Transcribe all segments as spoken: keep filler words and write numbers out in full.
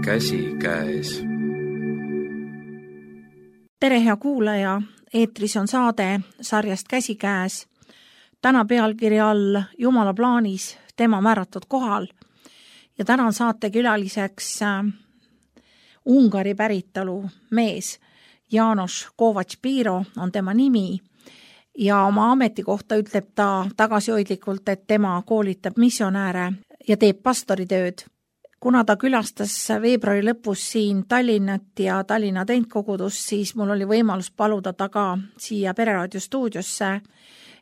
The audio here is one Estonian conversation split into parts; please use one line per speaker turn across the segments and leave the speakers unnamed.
käsikäes.
Tere, hea kuulaja! Eetris on saade sarjast Käsikäes. Täna pealkirja all Jumala plaanis tema määratud kohal. Ja täna on saate külaliseks äh, Ungari päritolu mees. János Kovacs-Piro on tema nimi. Ja oma ametikohta ütleb ta tagasihoidlikult, et tema koolitab missionääre ja teeb pastoritööd. Kuna ta külastas veebruari lõpus siin Tallinnat ja Tallinna Tentkogudust, siis mul oli võimalus paluda taga siia Pereraadio stuudiosse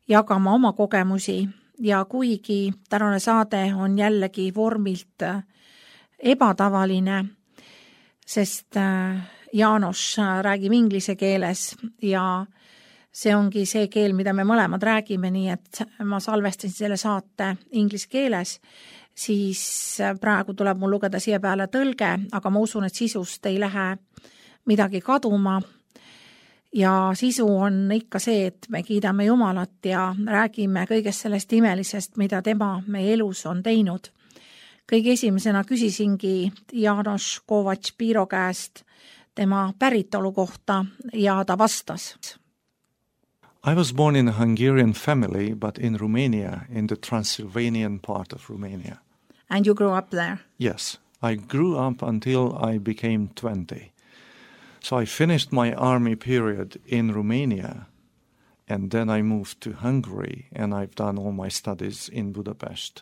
jagama oma kogemusi. Ja kuigi tänane saade on jällegi vormilt ebatavaline, sest János räägib inglise keeles ja see ongi see keel, mida me mõlemad räägime, nii et ma salvestasin selle saate inglise keeles, siis praegu tuleb mul lugeda siia peale tõlge, aga ma usun, et sisust ei lähe midagi kaduma. Ja sisu on ikka see, et me kiidame Jumalat ja räägime kõigest sellest imelisest, mida tema meie elus on teinud. Kõige esimesena küsisingi János Kovacs-Piro käest tema päritolu kohta ja ta vastas.
I was born in a Hungarian family, but in Romania, in the Transylvanian part of Romania.
And you grew up there?
Yes, I grew up until I became twenty. So I finished my army period in Romania, and then I moved to Hungary, and I've done all my studies in Budapest.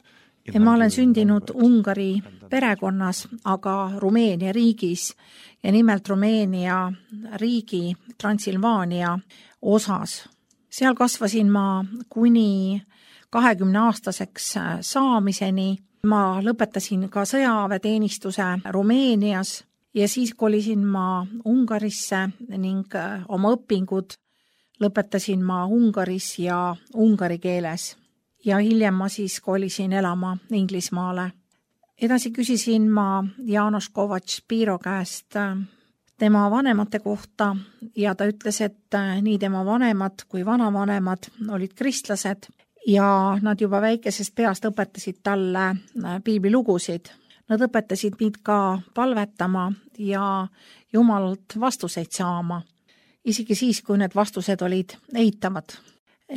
Ja ma olen sündinud Ungari perekonnas, aga Rumeenia riigis ja nimelt Rumeenia riigi Transilvaania osas. Seal kasvasin ma kuni kahekümne aastaseks saamiseni. Ma lõpetasin ka sõjaväeteenistuse Rumeenias ja siis kolisin ma Ungarisse ning oma õpingud lõpetasin ma Ungaris ja ungari keeles. Ja hiljem ma siis kolisin elama Inglismaale. Edasi küsisin ma János Kovacs-Piro käest tema vanemate kohta ja ta ütles, et nii tema vanemad kui vanavanemad olid kristlased ja nad juba väikesest peast õpetasid talle piiblilugusid. Nad õpetasid mind ka palvetama ja Jumalalt vastuseid saama, isegi siis, kui need vastused olid eitavad.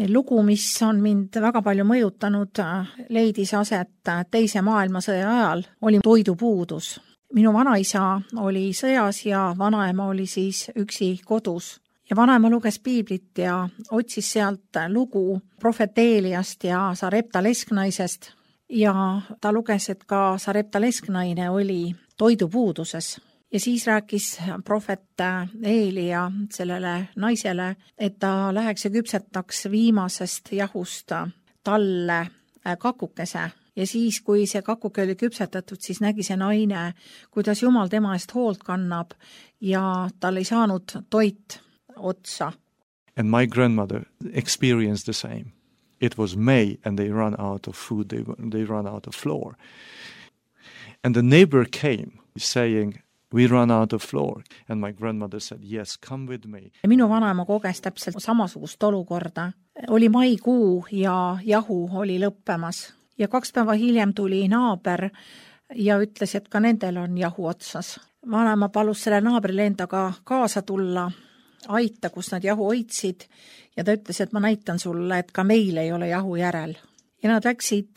Lugu, mis on mind väga palju mõjutanud, leidis aset teise maailmasõja ajal, oli toidupuudus. Minu vanaisa oli sõjas ja vanaema oli siis üksi kodus. Ja vanaema luges piiblit ja otsis sealt lugu prohvet Eeliast ja Sarepta lesknaisest. Ja ta luges, et ka Sarepta lesknaine oli toidupuuduses. Ja siis rääkis prohvet Eelia sellele naisele, et ta läheks ja küpsetaks viimasest jahust talle kakukese. Ja siis, kui see kakuke oli küpsetatud, siis nägi see naine, kuidas Jumal tema eest hoolt kannab ja tal ei saanud toit otsa.
And my grandmother experienced the same. It was May and they ran out of food, they, they ran out of flour. And the neighbor came saying, we run out of flour. And my grandmother said, yes, come with me.
Minu vanaema koges täpselt samasugust olukorda. Oli maikuu ja jahu oli lõppemas. Ja kaks päeva hiljem tuli naaber ja ütles, et ka nendel on jahu otsas. Vanaema palus selle naabrile endaga kaasa tulla, aita, kus nad jahu hoidsid ja ta ütles, et ma näitan sulle, et ka meil ei ole jahu järel. Ja nad läksid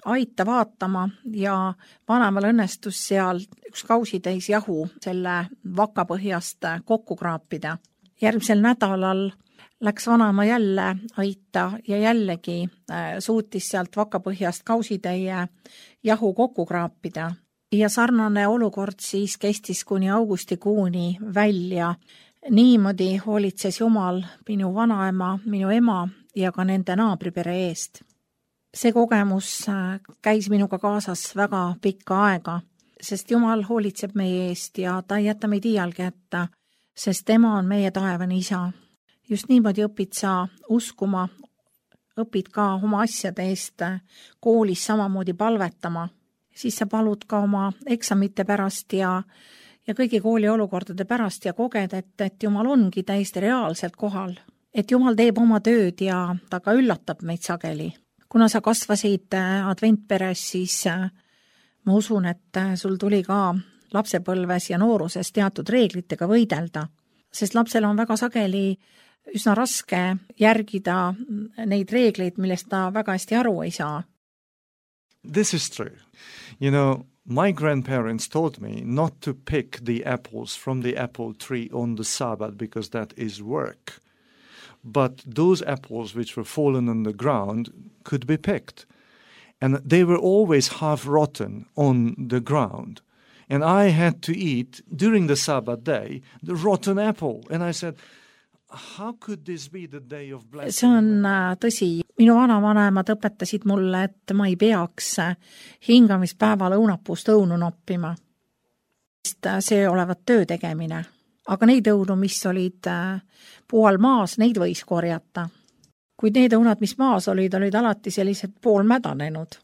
aita vaatama ja vanaemal õnnestus seal üks kausitäis jahu selle vakapõhjast kokku kraapida. Järgmisel nädalal läks vanaema jälle aita ja jällegi suutis sealt vakapõhjast kausitäie jahu kokku kraapida. Ja sarnane olukord siis kestis kuni augustikuuni välja. Niimoodi hoolitses Jumal minu vanaema, minu ema ja ka nende naabripere eest. See kogemus käis minuga kaasas väga pikka aega, sest Jumal hoolitseb meie eest ja ta ei jäta meid iialgi jätta, sest tema on meie taevane isa. Just niimoodi õpid sa uskuma, õpid ka oma asjade eest koolis samamoodi palvetama. Siis sa palud ka oma eksamite pärast ja, ja kõigi kooli olukordade pärast ja koged, et, et Jumal ongi täiesti reaalselt kohal. Et Jumal teeb oma tööd ja ta ka üllatab meid sageli. Kuna sa kasvasid adventperes, siis ma usun, et sul tuli ka lapsepõlves ja nooruses teatud reeglitega võidelda, sest lapsel on väga sageli üsna raske järgida neid reegleid, millest ta väga hästi aru ei saa.
This is true. You know, my grandparents taught me not to pick the apples from the apple tree on the Sabbath because that is work. But those apples which were fallen on the ground could be picked. And they were always half rotten on the ground. And I had to eat, during the Sabbath day, the rotten apple. And I said, how could this be the day of blessing?
See on tõsi. Minu vanavanemad õpetasid mulle, et ma ei peaks hingamispäeval õunapuust õunu noppima. See olevat töö tegemine. Aga neid õunu, mis olid puu all maas, neid võis korjata. Kuid need õunad, mis maas olid, olid alati sellised poolmädanenud.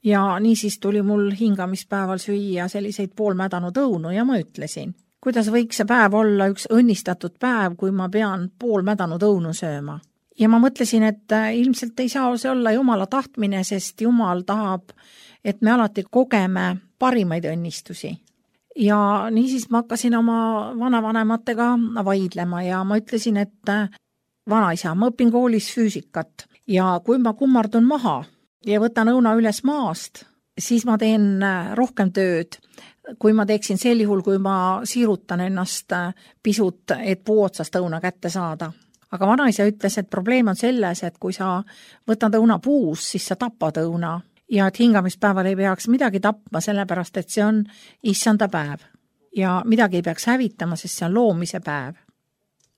Ja niisiis tuli mul hingamispäeval süüa selliseid poolmädanud õunu ja ma ütlesin, kuidas võiks see päev olla üks õnnistatud päev, kui ma pean poolmädanud õunu sööma. Ja ma mõtlesin, et ilmselt ei saa see olla Jumala tahtmine, sest Jumal tahab, et me alati kogeme parimaid õnnistusi. Ja niisiis ma hakkasin oma vanavanematega vaidlema ja ma ütlesin, et vanaisa, ma õpin koolis füüsikat ja kui ma kummardun maha ja võtan õuna üles maast, siis ma teen rohkem tööd, kui ma teeksin sel juhul, kui ma siirutan ennast pisut, et puu otsast õuna kätte saada. Aga vanaisa ütles, et probleem on selles, et kui sa võtad õuna puus, siis sa tapad õuna ja et hingamispäeval ei peaks midagi tapma, sellepärast et see on issanda päev ja midagi ei peaks hävitama, sest see on loomise päev.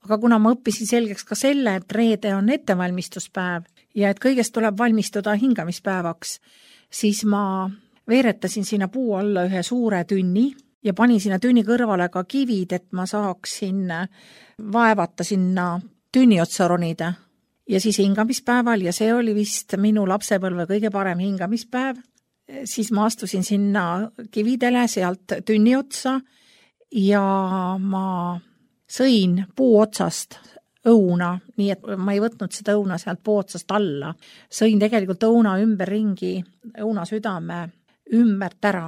Aga kuna ma õppisin selgeks ka selle, et reede on ettevalmistuspäev ja et kõigest tuleb valmistuda hingamispäevaks, siis ma veeretasin sinna puu alla ühe suure tünni ja panin sinna tünni kõrvale ka kivid, et ma saaksin vaevata sinna tünni otsa ronida. Ja siis hingamispäeval, ja see oli vist minu lapsepõlve kõige parem hingamispäev, siis ma astusin sinna kividele sealt tünni otsa ja ma sõin puu otsast õuna, nii et ma ei võtnud seda õuna sealt puu otsast alla. Sõin tegelikult õuna ümber ringi, õuna südame ümbert ära.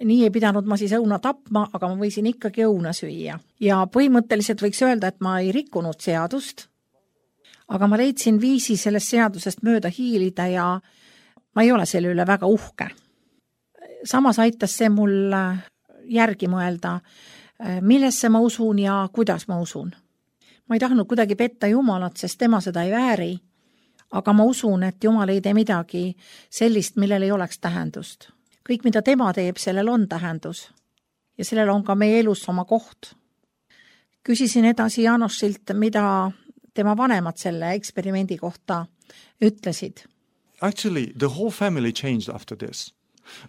Nii ei pidanud ma siis õuna tapma, aga ma võisin ikkagi õuna süüa. Ja põhimõtteliselt võiks öelda, et ma ei rikkunud seadust, aga ma leidsin viisi sellest seadusest mööda hiilida ja ma ei ole selle üle väga uhke. Samas aitas see mul järgi mõelda, millesse ma usun ja kuidas ma usun. Ma ei tahtnud kuidagi petta Jumalat, sest tema seda ei vääri, aga ma usun, et Jumal ei tee midagi sellist, millel ei oleks tähendust. Kõik, mida tema teeb, sellel on tähendus ja sellel on ka meie elus oma koht. Küsisin edasi Janosilt, mida tema vanemad selle eksperimendi kohta ütlesid.
Actually, the whole family changed after this.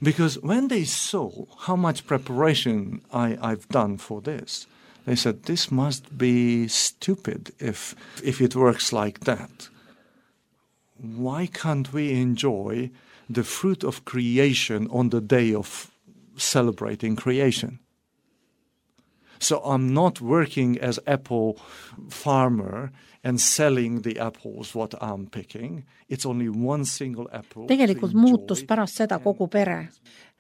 Because when they saw how much preparation I, I've done for this, they said, this must be stupid if, if it works like that. Why can't we enjoy the fruit of creation on the day of celebrating creation? So I'm not working as apple farmer and selling the apples what I'm picking. It's only one single apple.
Tegelikult muutus pärast seda kogu pere.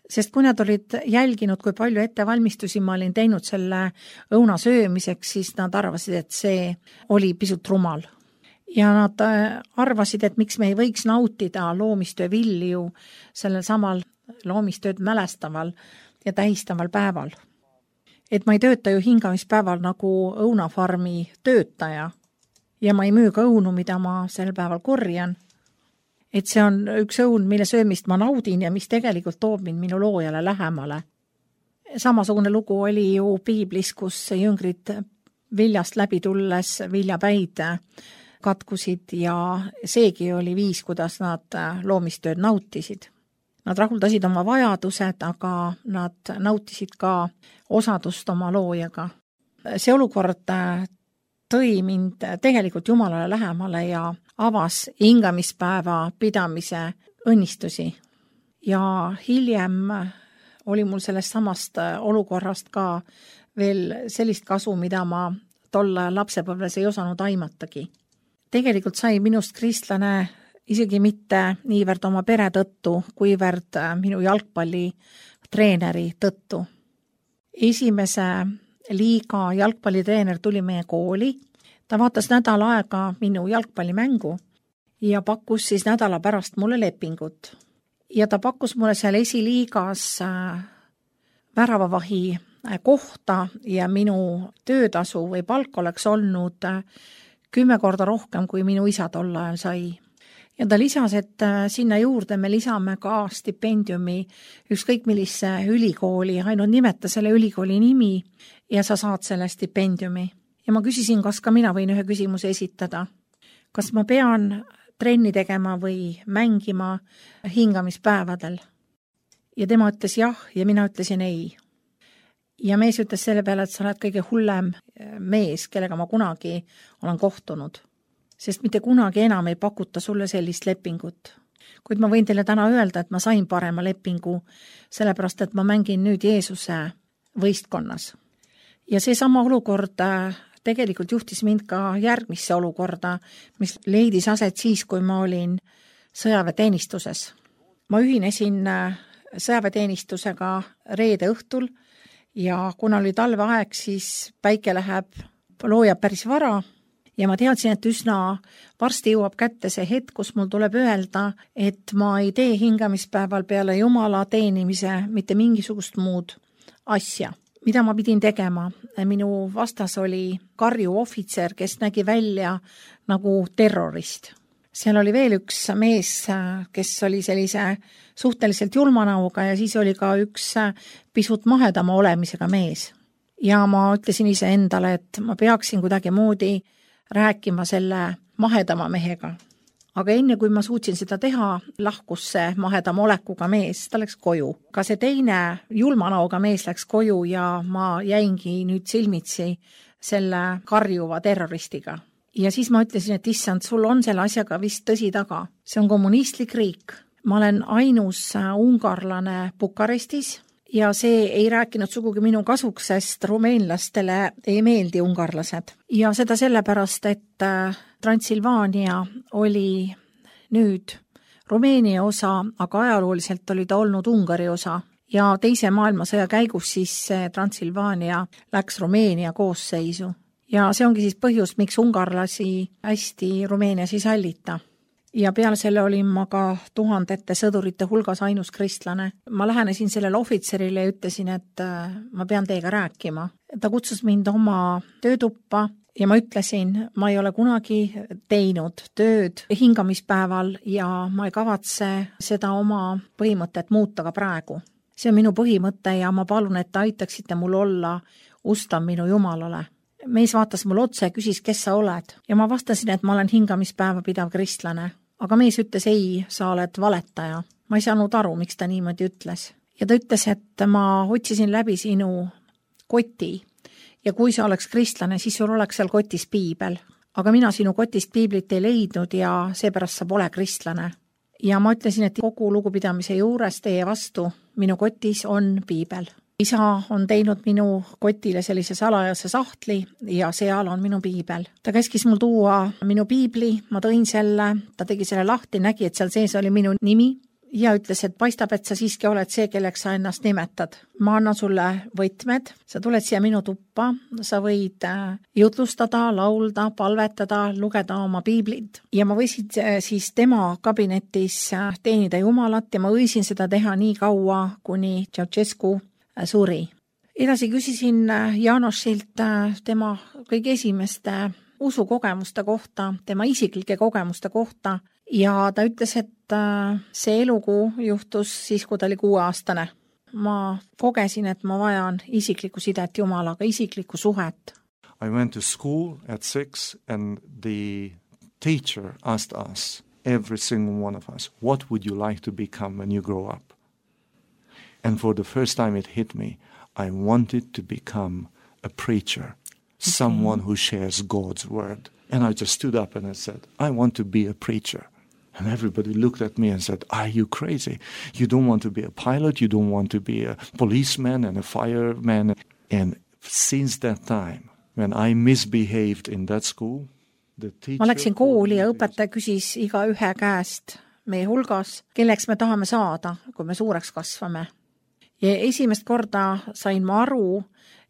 Sest kui nad olid jälginud, kui palju ettevalmistusi ma olin teinud selle õuna söömiseks, siis nad arvasid, et see oli pisut rumal. Ja nad arvasid, et miks me ei võiks nautida loomistöö vilju sellel samal loomistööd mälestaval ja tähistaval päeval. Et ma ei tööta ju hingamispäeval nagu õunafarmi töötaja ja ma ei müü ka õunu, mida ma sel päeval korjan. Et see on üks õun, mille söömist ma naudin ja mis tegelikult toob mind minu loojale lähemale. Samasugune lugu oli ju piiblis, kus jüngrid viljast läbi tulles viljapäid katkusid ja seegi oli viis, kuidas nad loomistööd nautisid. Nad rahuldasid oma vajadused, aga nad nautisid ka osadust oma loojaga. See olukord tõi mind tegelikult Jumalale lähemale ja avas hingamispäeva pidamise õnnistusi. Ja hiljem oli mul sellest samast olukorrast ka veel sellist kasu, mida ma tolle lapsepõlves ei osanud aimatagi. Tegelikult sai minust kristlane isegi mitte niivõrd oma pere tõttu, kuivõrd minu jalgpalli treeneri tõttu. esimese liiga jalgpallitreener tuli meie kooli. Ta vaatas nädal aega minu jalgpallimängu ja pakkus siis nädala pärast mulle lepingut. Ja ta pakkus mulle seal esiliigas väravavahi kohta ja minu töötasu või palk oleks olnud kümme korda rohkem, kui minu isa tol ajal sai. Ja ta lisas, et sinna juurde me lisame ka stipendiumi ükskõik millise ülikooli, ainult nimeta selle ülikooli nimi ja sa saad selle stipendiumi. Ja ma küsisin, kas ka mina võin ühe küsimuse esitada. Kas ma pean trenni tegema või mängima hingamispäevadel? Ja tema ütles jah ja mina ütlesin ei. Ja mees ütles selle peale, et sa oled kõige hullem mees, kellega ma kunagi olen kohtunud. Sest mitte kunagi enam ei pakuta sulle sellist lepingut. Kuid ma võin teile täna öelda, et ma sain parema lepingu, sellepärast, et ma mängin nüüd Jeesuse võistkonnas. Ja see sama olukord tegelikult juhtis mind ka järgmisse olukorda, mis leidis aset siis, kui ma olin sõjaväeteenistuses. Ma ühinesin sõjaväeteenistusega reede õhtul ja kuna oli talveaeg, siis päike läheb, loojab päris vara ja ma teadsin, et üsna varsti jõuab kätte see hetk, kus mul tuleb öelda, et ma ei tee hingamispäeval peale Jumala teenimise mitte mingisugust muud asja. Mida ma pidin tegema? Minu vastas oli karju ohvitser, kes nägi välja nagu terrorist. Seal oli veel üks mees, kes oli sellise suhteliselt julmanauga ja siis oli ka üks pisut mahedama olemisega mees. Ja ma ütlesin ise endale, et ma peaksin kuidagi moodi rääkima selle mahedama mehega. Aga enne kui ma suutsin seda teha, lahkus see mahedama olekuga mees, ta läks koju. Ka see teine julmanauga mees läks koju ja ma jäingi nüüd silmitsi selle karjuva terroristiga. Ja siis ma ütlesin, et issand, sul on selle asjaga vist tõsi taga. See on kommunistlik riik. Ma olen ainus ungarlane Bukarestis ja see ei rääkinud sugugi minu kasuks, sest rumeenlastele ei meeldi ungarlased. Ja seda sellepärast, et Transilvaania oli nüüd Rumeenia osa, aga ajalooliselt oli ta olnud Ungari osa. Ja teise maailmasõja käigus siis Transilvaania läks Rumeenia koosseisu. Ja see ongi siis põhjus, miks ungarlasi hästi Rumeenias ei sallita. Ja peale selle olin ma ka tuhandete sõdurite hulgas ainus kristlane. Ma lähenesin sellele ohvitserile ja ütlesin, et ma pean teiega rääkima. Ta kutsus mind oma töötuppa ja ma ütlesin, ma ei ole kunagi teinud tööd hingamispäeval ja ma ei kavatse seda oma põhimõtet muuta ka praegu. See on minu põhimõte ja ma palun, et aitaksite mul olla ustav minu Jumalale. Mees vaatas mul otse ja küsis, kes sa oled. Ja ma vastasin, et ma olen hingamispäeva pidav kristlane. Aga mees ütles, ei, sa oled valetaja. Ma ei saanud aru, miks ta niimoodi ütles. Ja ta ütles, et ma otsisin läbi sinu koti ja kui sa oleks kristlane, siis sul oleks seal kotis piibel. Aga mina sinu kotist piiblit ei leidnud ja seepärast sa pole kristlane. Ja ma ütlesin, et kogu lugupidamise juures teie vastu minu kotis on piibel. Isa on teinud minu kotile sellise salajase sahtli ja seal on minu piibel. Ta käskis mul tuua minu piibli, ma tõin selle, ta tegi selle lahti, nägi, et seal sees oli minu nimi ja ütles, et paistab, et sa siiski oled see, kelleks sa ennast nimetad. Ma annan sulle võtmed, sa tuled siia minu tuppa, sa võid jutlustada, laulda, palvetada, lugeda oma piiblit. Ja ma võisin siis tema kabinetis teenida Jumalat ja ma võisin seda teha nii kaua, kuni Ceausescu suri. Edasi küsisin Jaanosilt tema kõige esimeste usukogemuste kohta, tema isiklike kogemuste kohta ja ta ütles, et see elukuu juhtus siis, kui ta oli kuueaastane. Ma kogesin, et ma vajan isiklikku sidet Jumalaga, isiklikku suhet.
I went to school at six and the teacher asked us, every single one of us, what would you like to become when you grow up? And for the first time it hit me, I wanted to become a preacher, okay. Someone who shares God's word. And I just stood up and I said, I want to be a preacher. And everybody looked at me and said, are you crazy? You don't want to be a pilot, you don't want to be a policeman and a fireman. And since that time, when I misbehaved in that school, the teacher... Ma läksin kooli ja õpetaja küsis iga ühe käest meie hulgas, kelleks me tahame saada, kui me suureks kasvame.
Ja esimest korda sain ma aru,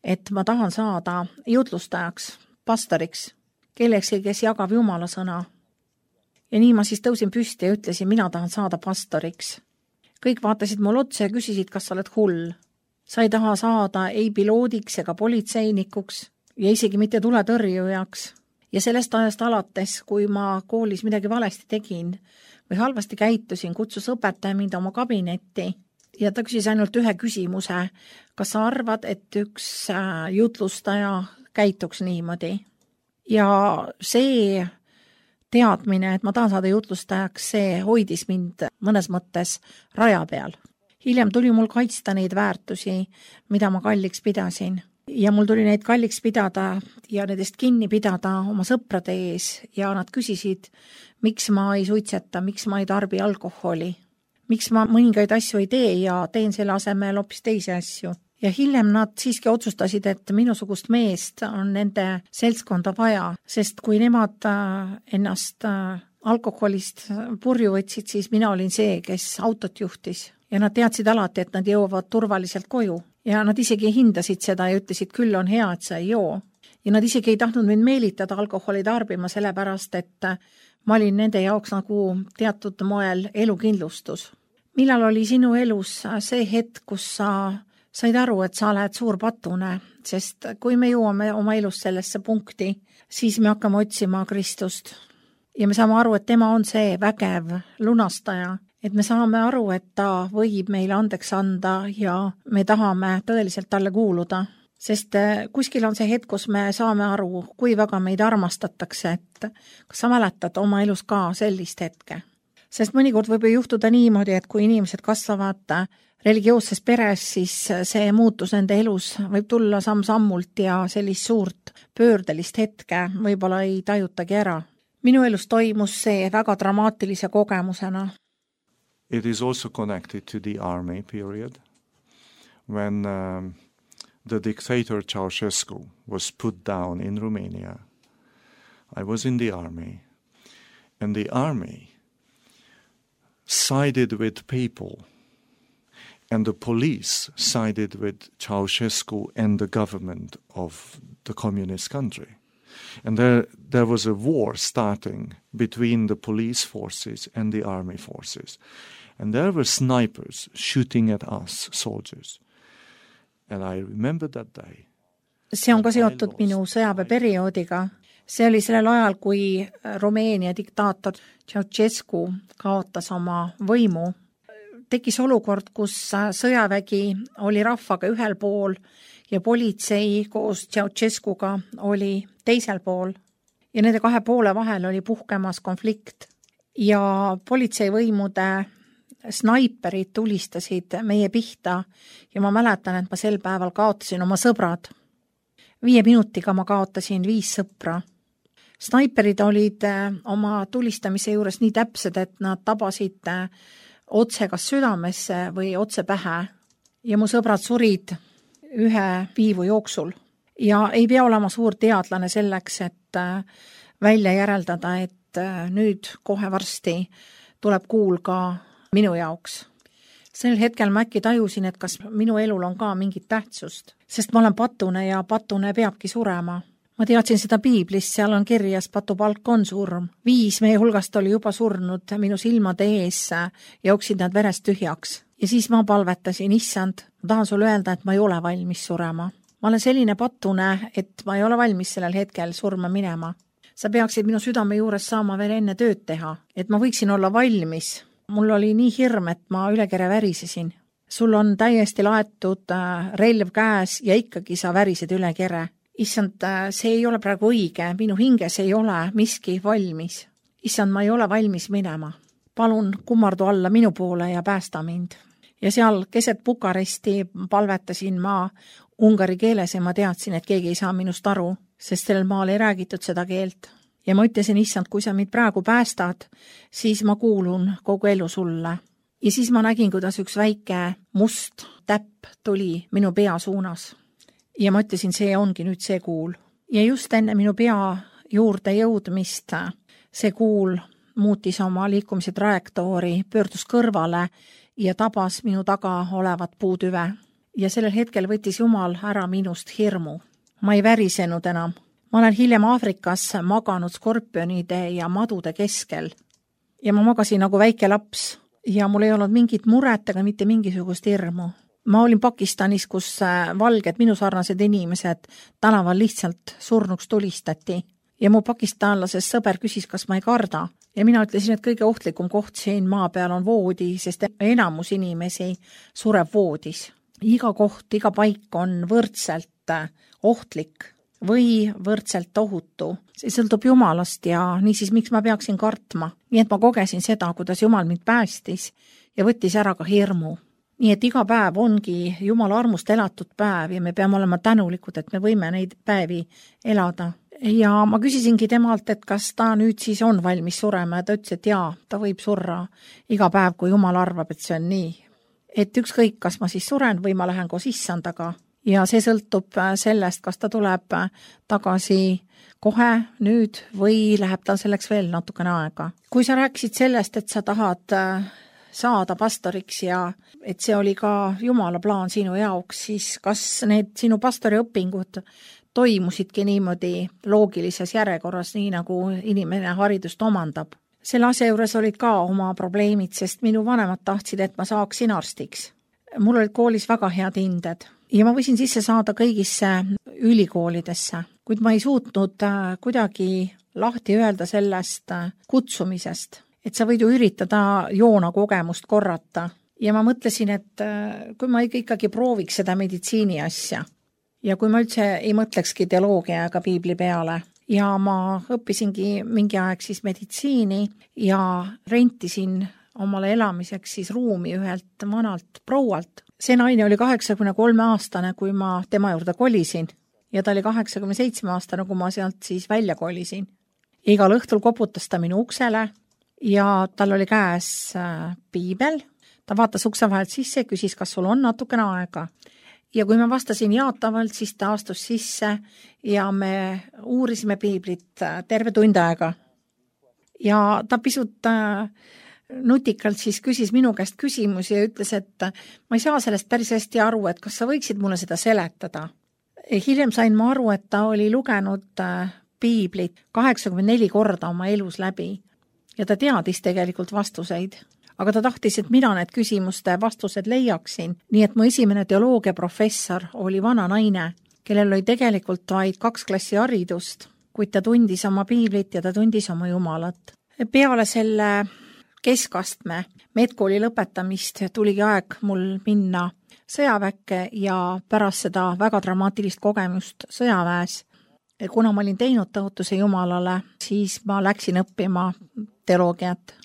et ma tahan saada jutlustajaks, pastoriks, kellekski, kes jagab Jumala sõna. Ja nii ma siis tõusin püsti ja ütlesin, mina tahan saada pastoriks. Kõik vaatasid mul otsa ja küsisid, kas sa oled hull. Sa ei taha saada ei piloodiks ega politseinikuks ja isegi mitte tuletõrjujaks. Ja sellest ajast alates, kui ma koolis midagi valesti tegin või halvasti käitusin, kutsus õpetaja mind oma kabinetti ja ta küsis ainult ühe küsimuse, kas sa arvad, et üks jutlustaja käituks niimoodi. Ja see teadmine, et ma tahan saada jutlustajaks, see hoidis mind mõnes mõttes raja peal. Hiljem tuli mul kaitsta neid väärtusi, mida ma kalliks pidasin. Ja mul tuli neid kalliks pidada ja nendest kinni pidada oma sõprade ees ja nad küsisid, miks ma ei suitseta, miks ma ei tarbi alkoholi, miks ma mõningaid asju ei tee ja teen selle asemel hoopis teisi asju. Ja hiljem nad siiski otsustasid, et minusugust meest on nende seltskonda vaja, sest kui nemad ennast alkoholist purju võtsid, siis mina olin see, kes autot juhtis. Ja nad teadsid alati, et nad jõuavad turvaliselt koju. Ja nad isegi hindasid seda ja ütlesid, küll on hea, et sa ei joo. Ja nad isegi ei tahtnud mind meelitada alkoholi tarbima, sellepärast, et ma olin nende jaoks nagu teatud moel elukindlustus. Millal oli sinu elus see hetk, kus sa said aru, et sa oled suur patune, sest kui me jõuame oma elus sellesse punkti, siis me hakkame otsima Kristust. Ja me saame aru, et tema on see vägev lunastaja, et me saame aru, et ta võib meile andeks anda ja me tahame tõeliselt talle kuuluda. Sest kuskil on see hetk, kus me saame aru, kui väga meid armastatakse, et kas sa mäletad oma elus ka sellist hetke. Sest mõnikord võib ju juhtuda niimoodi, et kui inimesed kasvavad religioosses peres, siis see muutus nende elus võib tulla samm-sammult ja sellist suurt pöördelist hetke võib-olla ei tajutagi ära. Minu elus toimus see väga dramaatilise kogemusena.
It is also connected to the army period when um, the dictator Ceausescu was put down in Romania. I was in the army, and the army sided with people, and the police sided with Ceausescu and the government of the communist country. And there, there was a war starting between the police forces and the army forces. And there were snipers shooting at us, soldiers. And I remember that day.
See on ka seotud minu sõjaväeperioodiga. See oli sellel ajal, kui Rumeenia diktaator Ceausescu kaotas oma võimu. Tekkis olukord, kus sõjavägi oli rahvaga ühel pool ja politsei koos Ceausescuga oli teisel pool. Ja nende kahe poole vahel oli puhkemas konflikt. Ja politseivõimude snaiperid tulistasid meie pihta ja ma mäletan, et ma sel päeval kaotasin oma sõbrad. Viie minutiga ma kaotasin viis sõpra. Snaiperid olid oma tulistamise juures nii täpsed, et nad tabasid otse kas südamesse või otse pähe. Ja mu sõbrad surid ühe viivu jooksul. Ja ei pea olema suur teadlane selleks, et välja järeldada, et nüüd kohe varsti tuleb kuul ka minu jaoks. Sel hetkel ma äkki tajusin, et kas minu elul on ka mingit tähtsust, sest ma olen patune ja patune peabki surema. Ma teadsin seda Piiblist, seal on kirjas patupalk on surm. Viis meie hulgast oli juba surnud minu silmade ees ja jooksid nad verest tühjaks. Ja siis ma palvetasin, issand, ma tahan sulle öelda, et ma ei ole valmis surema. Ma olen selline patune, et ma ei ole valmis sellel hetkel surma minema. Sa peaksid minu südame juures saama veel enne tööd teha, et ma võiksin olla valmis. Mul oli nii hirm, et ma üle kere värisesin. Sul on täiesti laetud relv käes ja ikkagi sa värised üle kere. Issand, see ei ole praegu õige, minu hinges ei ole miski valmis. Issand, ma ei ole valmis minema. Palun kummardu alla minu poole ja päästa mind. Ja seal keset Bukaresti palvetasin ma ungari keeles ja ma teadsin, et keegi ei saa minust aru, sest sellel maal ei räägitud seda keelt. Ja ma ütlesin, issand, kui sa mind praegu päästad, siis ma kuulun kogu elu sulle. Ja siis ma nägin, kuidas üks väike must täpp tuli minu pea suunas. Ja ma ütlesin, see ongi nüüd see kuul. Ja just enne minu pea juurde jõudmist see kuul muutis oma liikumise trajektoori, pöördus kõrvale ja tabas minu taga olevat puutüve. Ja sellel hetkel võttis Jumal ära minust hirmu. Ma ei värisenud enam. Ma olen hiljem Aafrikas maganud skorpionide ja madude keskel. Ja ma magasin nagu väike laps ja mul ei olnud mingit muret ega mitte mingisugust hirmu. Ma olin Pakistanis, kus valged minusarnased inimesed tänaval lihtsalt surnuks tulistati. Ja mu pakistanlasest sõber küsis, kas ma ei karda. Ja mina ütlesin, et kõige ohtlikum koht siin maa peal on voodi, sest enamus inimesi sureb voodis. Iga koht, iga paik on võrdselt ohtlik või võrdselt ohutu. See sõltub Jumalast ja niisiis miks ma peaksin kartma. Nii et ma kogesin seda, kuidas Jumal mind päästis ja võttis ära ka hirmu. Nii et iga päev ongi Jumala armust elatud päev ja me peame olema tänulikud, et me võime neid päevi elada. Ja ma küsisingi temalt, et kas ta nüüd siis on valmis surema ja ta ütles, et jaa, ta võib surra iga päev, kui Jumal arvab, et see on nii. Et ükskõik, kas ma siis suren või ma lähen koos issandaga. Ja see sõltub sellest, kas ta tuleb tagasi kohe nüüd või läheb tal selleks veel natukene aega. Kui sa rääkisid sellest, et sa tahad saada pastoriks ja et see oli ka Jumala plaan sinu jaoks, siis kas need sinu pastoriõpingud toimusidki niimoodi loogilises järjekorras, nii nagu inimene haridust omandab? Selle asja juures olid ka oma probleemid, sest minu vanemad tahtsid, et ma saaksin arstiks. Mul olid koolis väga head hinded ja ma võisin sisse saada kõigisse ülikoolidesse, kuid ma ei suutnud kuidagi lahti öelda sellest kutsumisest, et sa võid ju üritada joona kogemust korrata. Ja ma mõtlesin, et kui ma ikkagi prooviks seda meditsiini asja ja kui ma üldse ei mõtlekski teoloogia ega piibli peale ja ma õppisingi mingi aeg siis meditsiini ja rentisin omale elamiseks siis ruumi ühelt vanalt proualt. See naine oli kaheksakümne kolme aastane, kui ma tema juurde kolisin ja ta oli kaheksakümne seitsme aastane, kui ma sealt siis välja kolisin. Igal õhtul koputas ta minu uksele ja tal oli käes piibel. Ta vaatas ukse vahelt sisse ja küsis, kas sul on natukene aega. Ja kui ma vastasin jaatavalt, siis ta astus sisse ja me uurisime piiblit terve tund aega. Ja ta pisut nutikalt siis küsis minu käest küsimusi ja ütles, et ma ei saa sellest päris hästi aru, et kas sa võiksid mulle seda seletada. Hiljem sain ma aru, et ta oli lugenud piiblit kaheksakümmend neli korda oma elus läbi ja ta teadis tegelikult vastuseid. Aga ta tahtis, et mina need küsimuste vastused leiaksin, nii et mu esimene teoloogia professor oli vana naine, kellel oli tegelikult vaid kaks klassi haridust, kuid ta tundis oma piiblit ja ta tundis oma Jumalat. Peale selle keskastme medkooli lõpetamist tuligi aeg mul minna sõjaväkke ja pärast seda väga dramaatilist kogemust sõjaväes, kuna ma olin teinud tõotuse Jumalale, siis ma läksin õppima teoloogiat.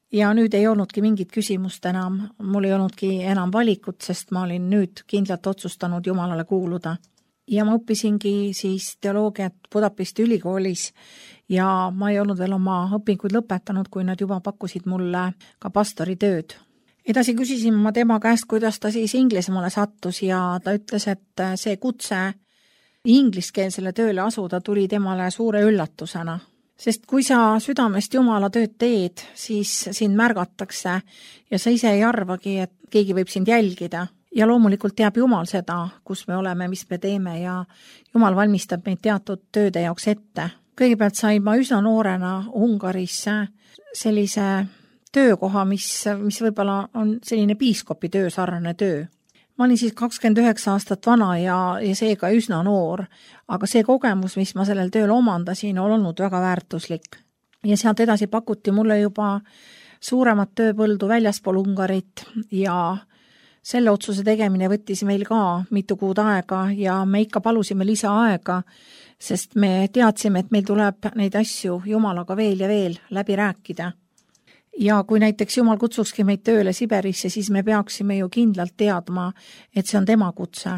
Ja nüüd ei olnudki mingit küsimust enam, mul ei olnudki enam valikut, sest ma olin nüüd kindlalt otsustanud Jumalale kuuluda. Ja ma õppisingi siis teoloogiat Budapesti ülikoolis ja ma ei olnud veel oma õpinguid lõpetanud, kui nad juba pakkusid mulle ka pastori tööd. Edasi küsisin ma tema käest, kuidas ta siis Inglismaale sattus ja ta ütles, et see kutse ingliskeelsele tööle asuda tuli temale suure üllatusena. Sest kui sa südamest Jumala tööd teed, siis sind märgatakse ja sa ise ei arvagi, et keegi võib sind jälgida. Ja loomulikult teab Jumal seda, kus me oleme, mis me teeme ja Jumal valmistab meid teatud tööde jaoks ette. Kõigepealt sain ma üsna noorena Ungaris sellise töökoha, mis, mis võib-olla on selline piiskopi töö, sarnane töö. Ma olin siis kakskümmend üheksa aastat vana ja, ja seega üsna noor, aga see kogemus, mis ma sellel tööl omandasin, on olnud väga väärtuslik. Ja sealt edasi pakuti mulle juba suuremat tööpõldu väljaspool Ungarit ja selle otsuse tegemine võttis meil ka mitu kuud aega ja me ikka palusime lisaaega, sest me teadsime, et meil tuleb neid asju Jumalaga veel ja veel läbi rääkida. Ja kui näiteks Jumal kutsukski meid tööle Siberisse, siis me peaksime ju kindlalt teadma, et see on tema kutse.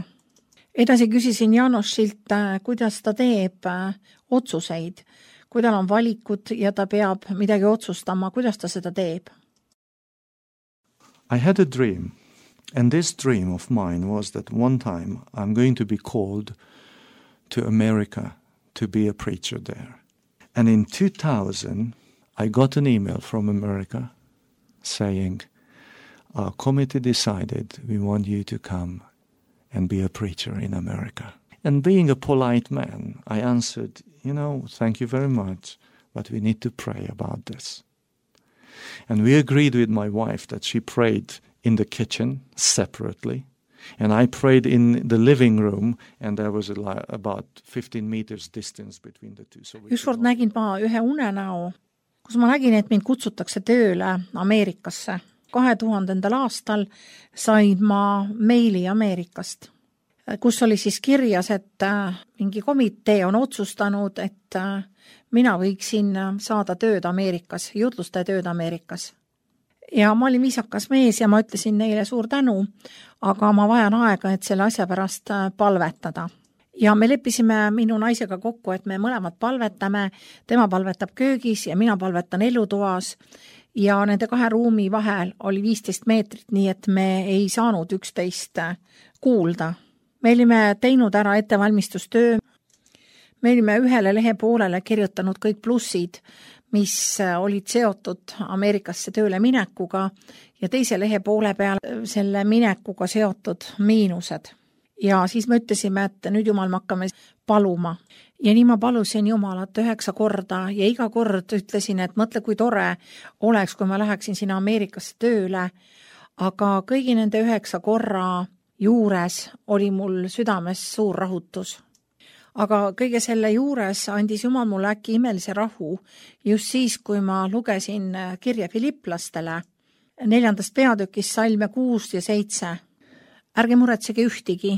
Edasi küsisin Janošilt, kuidas ta teeb otsuseid, kui tal on valikud ja ta peab midagi otsustama, kuidas ta seda teeb.
I had a dream, and this dream of mine was that one time I'm going to be called to America to be a preacher there. And in two thousand I got an email from America saying, our committee decided we want you to come and be a preacher in America. And being a polite man, I answered, you know, thank you very much, but we need to pray about this. And we agreed with my wife that she prayed in the kitchen separately, and I prayed in the living room, and there was a, about fifteen meters distance between the two. So
ükskord nägin ma ühe unenäo, kus ma nägin, et mind kutsutakse tööle Ameerikasse. kahe tuhandendal aastal sain ma meili Ameerikast, kus oli siis kirjas, et mingi komitee on otsustanud, et mina võiksin saada tööd Ameerikas, jutlustaja tööd Ameerikas. Ja ma olin viisakas mees ja ma ütlesin neile suur tänu, aga ma vajan aega, et selle asja pärast palvetada. Ja me leppisime minu naisega kokku, et me mõlemad palvetame, tema palvetab köögis ja mina palvetan elutoas, ja nende kahe ruumi vahel oli viisteist meetrit, nii et me ei saanud üksteist kuulda. Me olime teinud ära ettevalmistustöö, me olime ühele lehe poolele kirjutanud kõik plussid, mis olid seotud Ameerikasse tööle minekuga, ja teise lehe poole peal selle minekuga seotud miinused. Ja siis me ütlesime, et nüüd Jumal me hakkame paluma. Ja nii ma palusin Jumalat üheksa korda ja iga kord ütlesin, et mõtle, kui tore oleks, kui ma läheksin sinna Ameerikasse tööle, aga kõigi nende üheksa korra juures oli mul südames suur rahutus. Aga kõige selle juures andis Jumal mulle äkki imelise rahu just siis, kui ma lugesin kirja Filipplastele neljandast peatükist salme kuus ja seitse. Ärge muretsege ühtigi,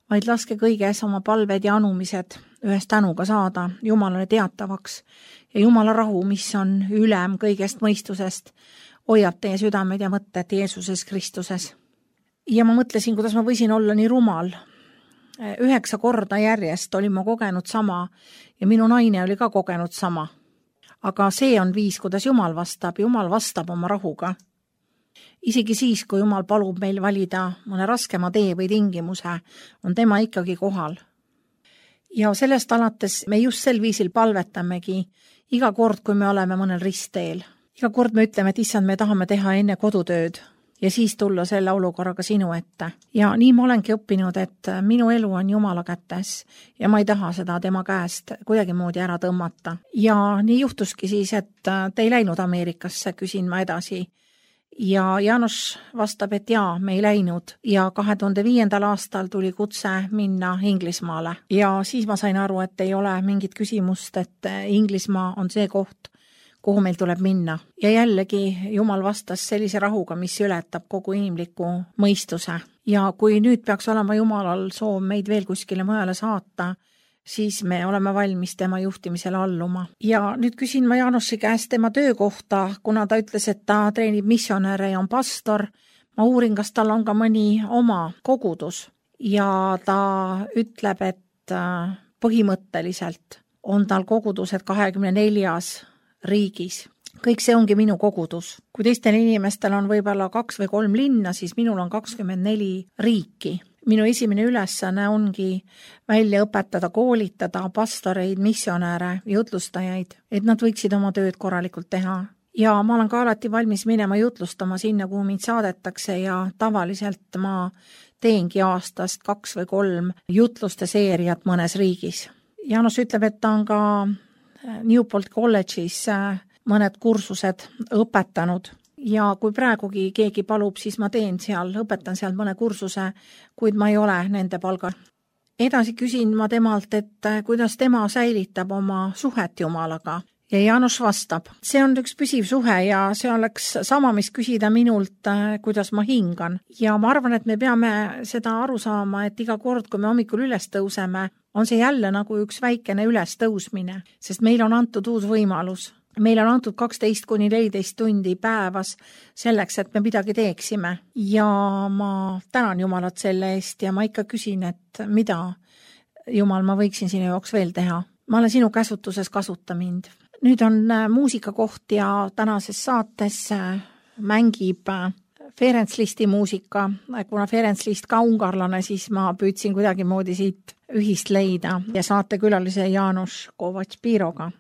vaid laske kõiges oma palved ja anumised ühest tänuga saada Jumalale teatavaks, ja Jumala rahu, mis on ülem kõigest mõistusest, hoiab teie südamed ja mõtted Jeesuses Kristuses. Ja ma mõtlesin, kuidas ma võisin olla nii rumal. Üheksa korda järjest olin ma kogenud sama ja minu naine oli ka kogenud sama. Aga see on viis, kuidas Jumal vastab. Jumal vastab oma rahuga. Isegi siis, kui Jumal palub meil valida mõne raskema tee või tingimuse, on tema ikkagi kohal. Ja sellest alates me just sel viisil palvetamegi iga kord, kui me oleme mõnel ristteel. Iga kord me ütleme, et issand, me tahame teha enne kodutööd ja siis tulla selle olukorraga sinu ette. Ja nii ma olengi õppinud, et minu elu on Jumala kätes ja ma ei taha seda tema käest kuidagi moodi ära tõmmata. Ja nii juhtuski siis, et te ei läinud Ameerikasse, küsin ma edasi. Ja Jaanus vastab, et jaa, me ei läinud, ja kahe tuhande viiendal aastal tuli kutse minna Inglismaale. Ja siis ma sain aru, et ei ole mingit küsimust, et Inglismaa on see koht, kuhu meil tuleb minna. Ja jällegi Jumal vastas sellise rahuga, mis ületab kogu inimliku mõistuse. Ja kui nüüd peaks olema Jumalal soov meid veel kuskile mujale saata, siis me oleme valmis tema juhtimisele alluma. Ja nüüd küsin ma Jaanussi käest tema töökohta, kuna ta ütles, et ta treenib missionäre ja on pastor. Ma uurin, kas tal on ka mõni oma kogudus. Ja ta ütleb, et põhimõtteliselt on tal kogudused kahekümne neljas riigis. Kõik see ongi minu kogudus. Kui teistel inimestel on võib-olla kaks või kolm linna, siis minul on kakskümmend neli riiki. Minu esimene ülesanne ongi välja õpetada, koolitada pastoreid, missionäre, jutlustajaid, et nad võiksid oma tööd korralikult teha. Ja ma olen ka alati valmis minema jutlustama sinna, kuhu mind saadetakse, ja tavaliselt ma teengi aastast kaks või kolm jutluste seeriat mõnes riigis. Jaanus ütleb, et ta on ka Newport College'is mõned kursused õpetanud. Ja kui praegugi keegi palub, siis ma teen seal, õpetan seal mõne kursuse, kuid ma ei ole nende palgal. Edasi küsin ma temalt, et kuidas tema säilitab oma suhet Jumalaga. Ja Jaanus vastab, see on üks püsiv suhe ja see oleks sama, mis küsida minult, kuidas ma hingan. Ja ma arvan, et me peame seda aru saama, et iga kord, kui me hommikul üles tõuseme, on see jälle nagu üks väikene üles tõusmine, sest meil on antud uus võimalus. Meil on antud kaksteist kuni neliteist tundi päevas selleks, et me midagi teeksime. Ja ma tänan Jumalat selle eest ja ma ikka küsin, et mida Jumal ma võiksin sinu jaoks veel teha. Ma olen sinu käsutuses, kasuta mind. Nüüd on muusikakoht ja tänases saates mängib Ferenc Listi muusika. Kuna Ferenc List ka ungarlane, siis ma püüdsin kuidagi moodi siit ühist leida ja saate külalise Jaanus Kovacs-Piroga.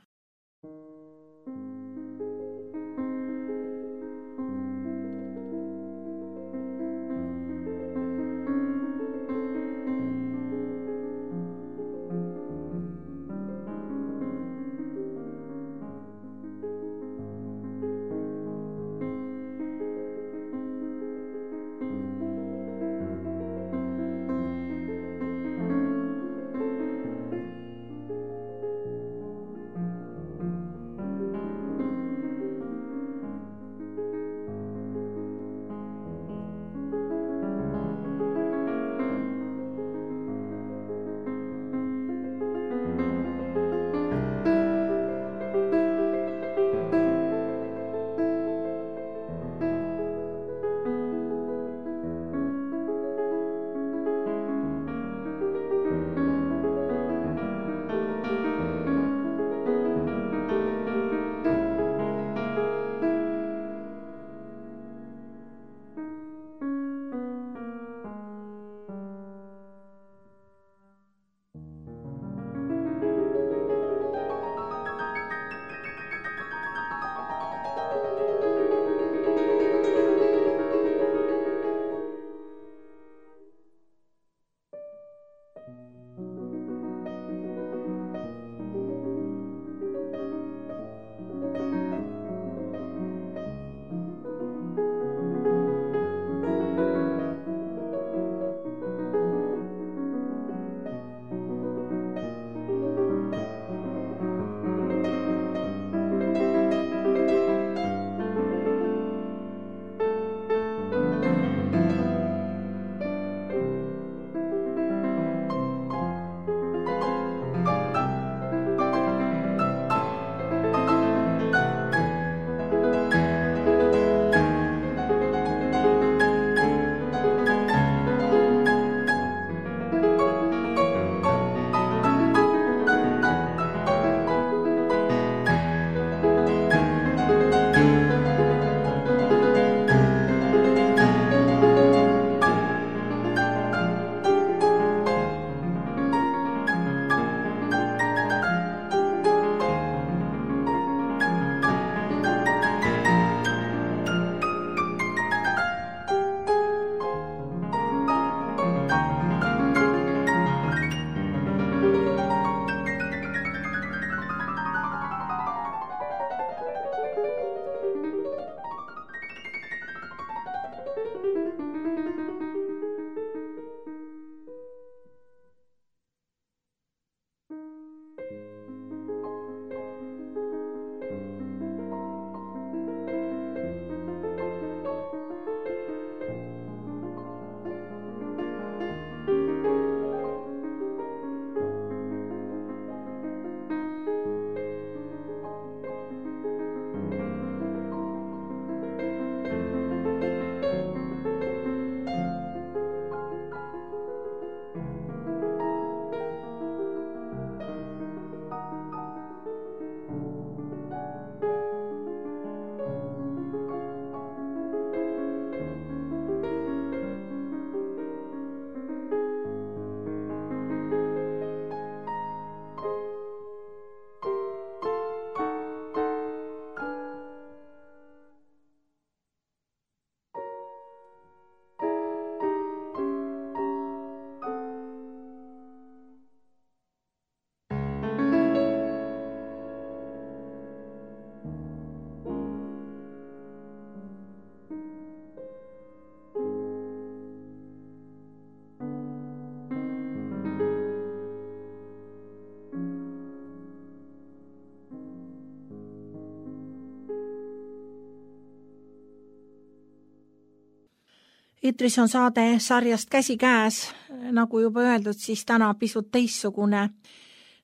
Eetris on saade sarjast Käsikäes, nagu juba öeldud, siis täna pisut teistsugune.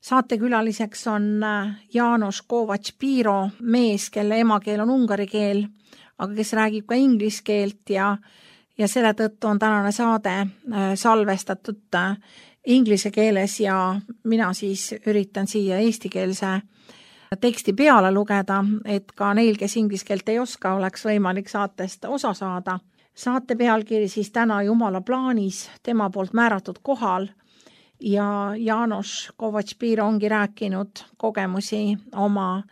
Saatekülaliseks on János Kovacs-Piro, mees, kelle emakeel on ungari keel, aga kes räägib ka inglise keelt ja, ja selle tõttu on tänane saade salvestatud inglise keeles ja mina siis üritan siia eestikeelse teksti peale lugeda, et ka neil, kes inglise keelt ei oska, oleks võimalik saatest osa saada. Saate pealkiri siis täna Jumala plaanis, tema poolt määratud kohal ja János Kovacs-Piro ongi rääkinud kogemusi oma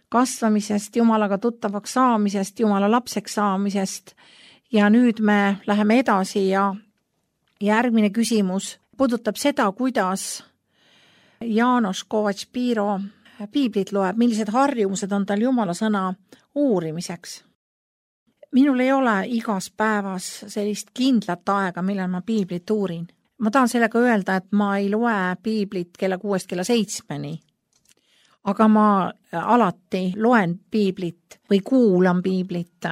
kasvamisest, Jumalaga tuttavaks saamisest, Jumala lapseks saamisest ja nüüd me läheme edasi ja järgmine küsimus puudutab seda, kuidas János Kovacs-Piro piiblit loeb, millised harjumused on tal Jumala sõna uurimiseks. Minul ei ole igas päevas sellist kindlat aega, millal ma piiblit uurin. Ma tahan sellega öelda, et ma ei loe piiblit kella kuuest kella seitsmeni, aga ma alati loen piiblit või kuulan piiblit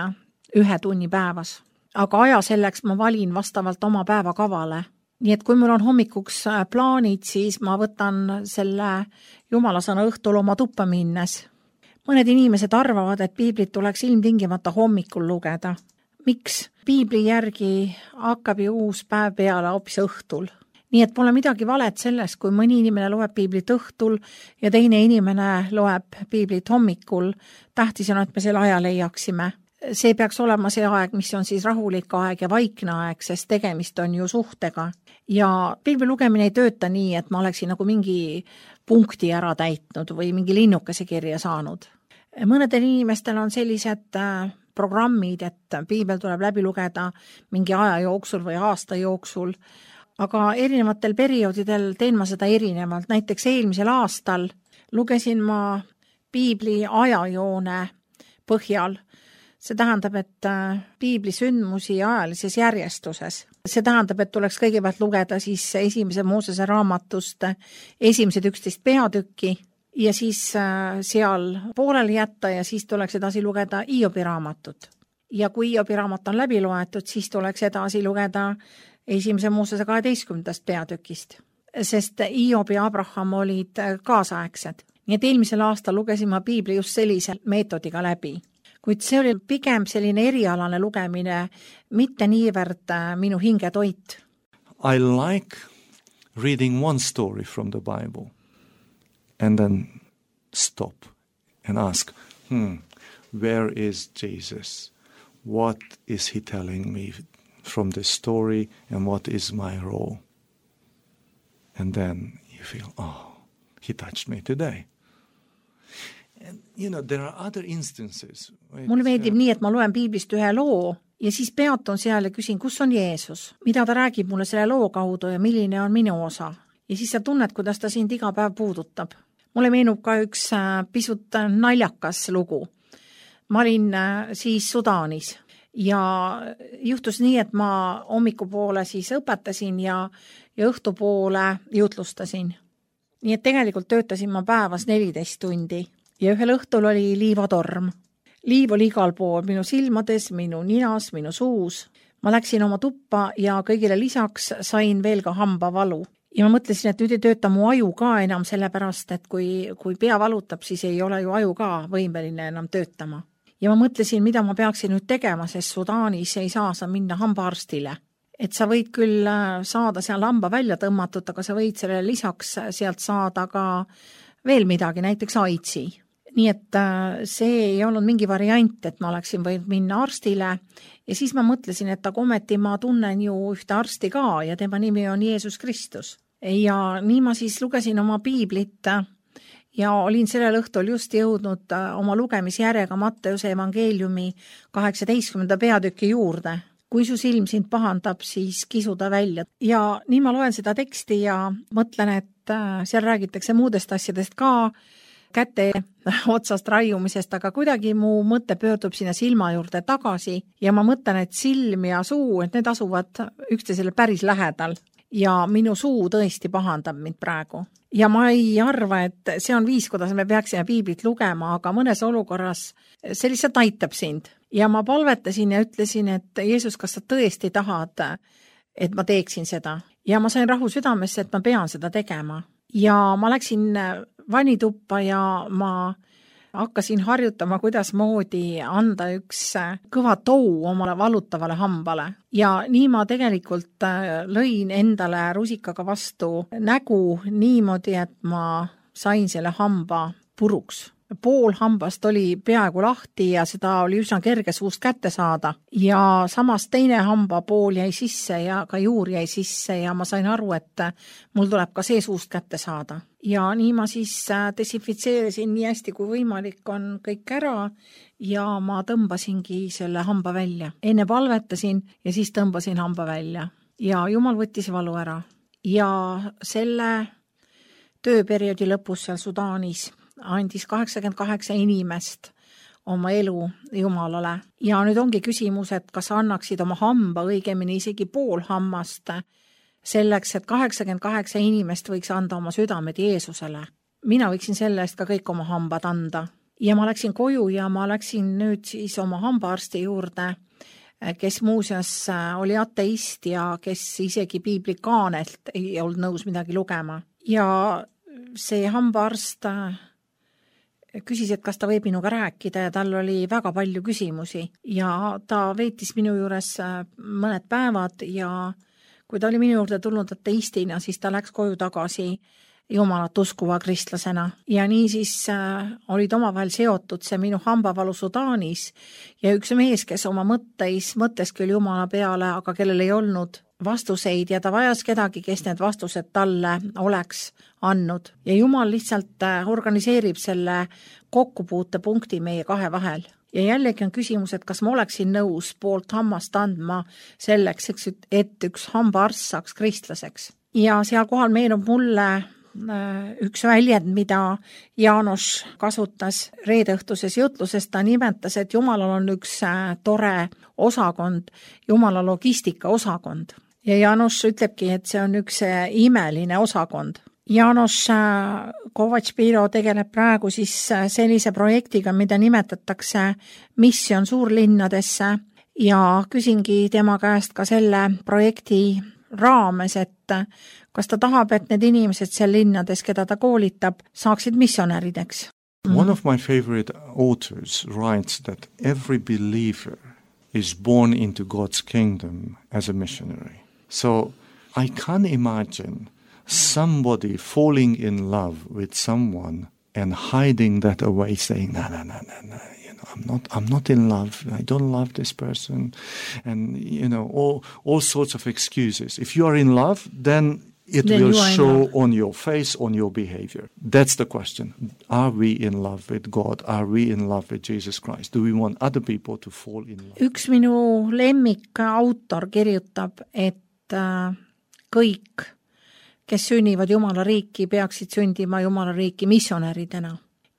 ühe tunni päevas. Aga aja selleks ma valin vastavalt oma päevakavale. Nii et kui mul on hommikuks plaanid, siis ma võtan selle Jumala sõna õhtul oma tuppa minnes. Mõned inimesed arvavad, et piiblit tuleks ilmtingimata hommikul lugeda. Miks? Piibli järgi hakkab ju uus päev peale hoopis õhtul. Nii et pole midagi valet sellest, kui mõni inimene loeb piiblit õhtul ja teine inimene loeb piiblit hommikul. Tähtis on, et me selle aja leiaksime. See peaks olema see aeg, mis on siis rahulik aeg ja vaikne aeg, sest tegemist on ju suhtega. Ja piibli lugemine ei tööta nii, et ma oleksin nagu mingi punkti ära täitnud või mingi linnukese kirja saanud. Mõnedel inimestel on sellised programmid, et piibel tuleb läbi lugeda mingi aja jooksul või aasta jooksul, aga erinevatel perioodidel teen ma seda erinevalt. Näiteks eelmisel aastal lugesin ma piibli ajajoone põhjal. See tähendab, et piibli sündmusi ajalises järjestuses. See tähendab, et tuleks kõigepealt lugeda siis esimese Moosese raamatust esimesed üksteist peatükki ja siis seal pooleli jätta ja siis tuleks edasi lugeda Hiobi raamatut. Ja kui Hiobi raamat on läbi loetud, siis tuleks edasi lugeda esimese Moosese kaheteistkümnendast peatükist, sest Hiob ja Abraham olid kaasaegsed. Nii et eelmisel aastal lugesin ma piibli just sellise meetodiga läbi. Kuid see oli pigem selline erialane lugemine, mitte niivõrd minu hingetoit.
I like reading one story from the Bible and then stop and ask, hmm, where is Jesus? What is he telling me from this story and what is my role? And then you feel, oh, he touched me today. And, you know, there are other instances.
Mulle meeldib nii, et ma loen piiblist ühe loo ja siis peatun seal ja küsin, kus on Jeesus? Mida ta räägib mulle selle loo kaudu ja milline on minu osa? Ja siis sa tunned, kuidas ta sind iga päev puudutab. Mulle meenub ka üks pisut naljakas lugu. Ma olin siis Sudaanis ja juhtus nii, et ma hommikupoole siis õpetasin ja, ja õhtupoole jutlustasin. Nii et tegelikult töötasin ma päevas neliteist tundi. Ja ühel õhtul oli liivatorm. Liiv oli igal pool, minu silmades, minu ninas, minu suus. Ma läksin oma tuppa ja kõigile lisaks sain veel ka hambavalu. Ja ma mõtlesin, et nüüd ei tööta mu aju ka enam sellepärast, et kui, kui pea valutab, siis ei ole ju aju ka võimeline enam töötama. Ja ma mõtlesin, mida ma peaksin nüüd tegema, sest Sudaanis ei saa sa minna hambaarstile. Et sa võid küll saada seal hamba välja tõmmatud, aga sa võid sellele lisaks sealt saada ka veel midagi, näiteks aidsi. Nii et see ei olnud mingi variant, et ma oleksin võinud minna arstile ja siis ma mõtlesin, et aga ometi ma tunnen ju ühte arsti ka ja tema nimi on Jeesus Kristus. Ja nii ma siis lugesin oma piiblit ja olin sellel õhtul just jõudnud oma lugemisjärjega Matteuse evangeeliumi kaheksateistkümnenda peatüki juurde. Kui su silm sind pahandab, siis kisu ta välja. Ja nii ma loen seda teksti ja mõtlen, et seal räägitakse muudest asjadest ka, käte otsast raiumisest, aga kuidagi mu mõte pöördub sinna silma juurde tagasi ja ma mõtlen, et silm ja suu, et need asuvad üksteisele päris lähedal ja minu suu tõesti pahandab mind praegu. Ja ma ei arva, et see on viis, kuidas me peaksime piiblit lugema, aga mõnes olukorras see lihtsalt aitab sind. ja ma palvetasin ja ütlesin, et Jeesus, kas sa tõesti tahad, et ma teeksin seda. Ja ma sain rahu südamesse, et ma pean seda tegema. Ja ma läksin vannituppa ja ma hakkasin harjutama, kuidas moodi anda üks kõva tou omale valutavale hambale. Ja nii ma tegelikult lõin endale rusikaga vastu nägu niimoodi, et ma sain selle hamba puruks. Pool hambast oli peaaegu lahti ja seda oli üsna kerge suust kätte saada. Ja samas teine hamba pool jäi sisse ja ka juur jäi sisse ja ma sain aru, et mul tuleb ka see suust kätte saada. Ja nii ma siis desinfitseerisin nii hästi kui võimalik on kõik ära ja ma tõmbasingi selle hamba välja. Enne palvetasin ja siis tõmbasin hamba välja. Ja Jumal võttis valu ära. Ja selle tööperioodi lõpus seal Sudaanis andis kaheksakümmend kaheksa inimest oma elu Jumalale. Ja nüüd ongi küsimus, et kas annaksid oma hamba, õigemini isegi pool hammast, selleks, et kaheksakümmend kaheksa inimest võiks anda oma südamed Jeesusele. Mina võiksin selle eest ka kõik oma hambad anda. Ja ma läksin koju ja ma läksin nüüd siis oma hambaarsti juurde, kes muuseas oli ateist ja kes isegi piiblikaanelt ei olnud nõus midagi lugema. Ja see hambaarst küsis, et kas ta võib minuga rääkida ja tal oli väga palju küsimusi ja ta veetis minu juures mõned päevad ja kui ta oli minu juurde tulnud ateistina, siis ta läks koju tagasi Jumalat uskuva kristlasena. Ja nii siis äh, olid omavahel seotud see minu hambavalu Sudaanis ja üks mees, kes oma mõtteis, mõttes küll Jumala peale, aga kellel ei olnud vastuseid ja ta vajas kedagi, kes need vastused talle oleks andnud. Ja Jumal lihtsalt organiseerib selle kokkupuutepunkti meie kahe vahel. Ja jällegi on küsimus, et kas ma oleksin nõus poolt hammast andma selleks, et üks hambaarst saaks kristlaseks. Ja seal kohal meenub mulle üks väljend, mida Jaanus kasutas reedeõhtuses jutluses. Ta nimetas, et Jumalal on üks tore osakond, Jumala logistika osakond. Ja Jaanus ütlebki, et see on üks imeline osakond. Jaanus Kovatš-Piro tegeleb praegu siis sellise projektiga, mida nimetatakse missioon suurlinnadesse ja küsingi tema käest ka selle projekti raames, et kas ta tahab, et need inimesed seal linnades, keda ta koolitab, saaksid missionärideks.
One of my favorite authors writes that every believer is born into God's kingdom as a missionary. So I can't imagine somebody falling in love with someone and hiding that away, saying, no, no, no, no, no, you know, I'm not, I'm not in love. I don't love this person. And, you know, all, all sorts of excuses. If you are in love, then it
then
will show on your face, on your behavior. That's the question. Are we in love with God? Are we in love with Jesus Christ? Do we want other people to fall in love?
Üks minu lemmik autor kirjutab, et kõik, kes sünnivad Jumala riiki, peaksid sündima Jumala riiki missionäridena.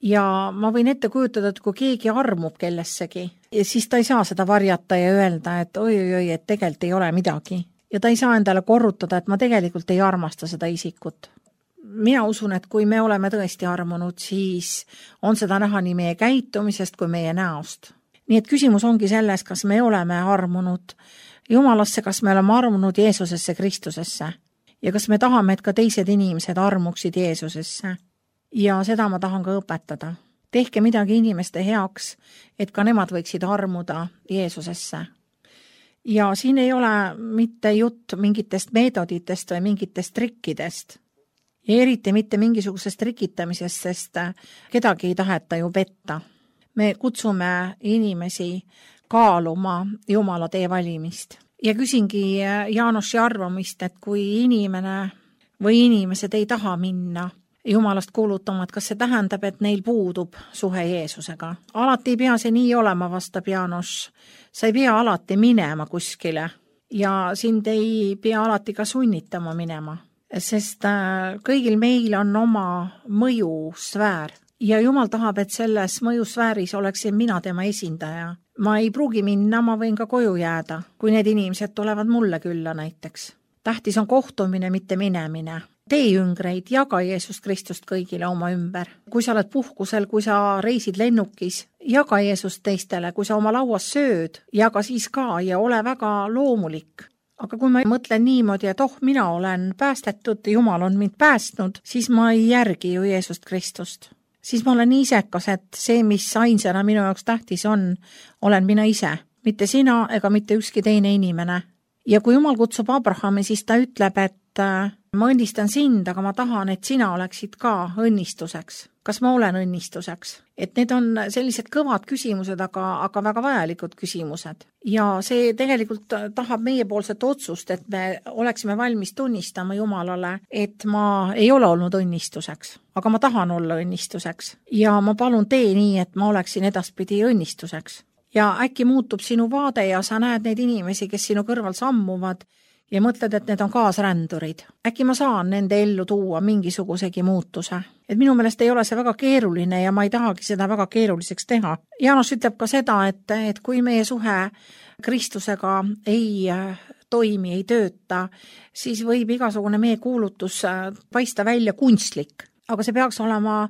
Ja ma võin ette kujutada, et kui keegi armub kellessegi, siis ta ei saa seda varjata ja öelda, et oi-oi-oi, et tegelikult ei ole midagi. Ja ta ei saa endale korrutada, et ma tegelikult ei armasta seda isikut. Mina usun, et kui me oleme tõesti armunud, siis on seda näha nii meie käitumisest kui meie näost. Nii et küsimus ongi selles, kas me oleme armunud Jumalasse, kas me oleme armunud Jeesusesse, Kristusesse ja kas me tahame, et ka teised inimesed armuksid Jeesusesse. Ja seda ma tahan ka õpetada. Tehke midagi inimeste heaks, et ka nemad võiksid armuda Jeesusesse. Ja siin ei ole mitte jutt mingitest meetoditest või mingitest trikkidest. Ja eriti mitte mingisugusest trikitamisest, sest kedagi ei taheta ju petta. Me kutsume inimesi kaaluma Jumala tee valimist. Ja küsingi Jaanosi arvamist, et kui inimene või inimesed ei taha minna Jumalast kuulutama, et kas see tähendab, et neil puudub suhe Jeesusega. Alati ei pea see nii olema, vastab Jaanos. Sa ei pea alati minema kuskile ja sind ei pea alati ka sunnitama minema, sest kõigil meil on oma mõjusfäär ja Jumal tahab, et selles mõjusfääris oleksin mina tema esindaja. Ma ei pruugi minna, ma võin ka koju jääda, kui need inimesed tulevad mulle külla näiteks. Tähtis on kohtumine, mitte minemine. tee jüngreid, jaga Jeesust Kristust kõigile oma ümber. Kui sa oled puhkusel, kui sa reisid lennukis, jaga Jeesust teistele, kui sa oma lauas sööd, jaga siis ka ja ole väga loomulik. Aga kui ma mõtlen niimoodi, et oh, mina olen päästetud, Jumal on mind päästnud, siis ma ei järgi ju Jeesust Kristust. Siis ma olen nii isekas, et see, mis ainsana minu jaoks tähtis on, olen mina ise, mitte sina ega mitte ükski teine inimene. Ja kui Jumal kutsub Abrahami, siis ta ütleb, et ma õnnistan sind, aga ma tahan, et sina oleksid ka õnnistuseks. Kas ma olen õnnistuseks? Et need on sellised kõvad küsimused, aga, aga väga vajalikud küsimused. Ja see tegelikult tahab meiepoolset otsust, et me oleksime valmis tunnistama Jumalale, et ma ei ole olnud õnnistuseks, aga ma tahan olla õnnistuseks. Ja ma palun tee nii, et ma oleksin edaspidi õnnistuseks. Ja äkki muutub sinu vaade ja sa näed neid inimesi, kes sinu kõrval sammuvad ja mõtled, et need on kaasrändurid. Äkki ma saan nende ellu tuua mingisugusegi muutuse. Et minu meelest ei ole see väga keeruline ja ma ei tahagi seda väga keeruliseks teha. Jaanus ütleb ka seda, et, et kui meie suhe Kristusega ei toimi, ei tööta, siis võib igasugune meie kuulutus paista välja kunstlik. Aga see peaks olema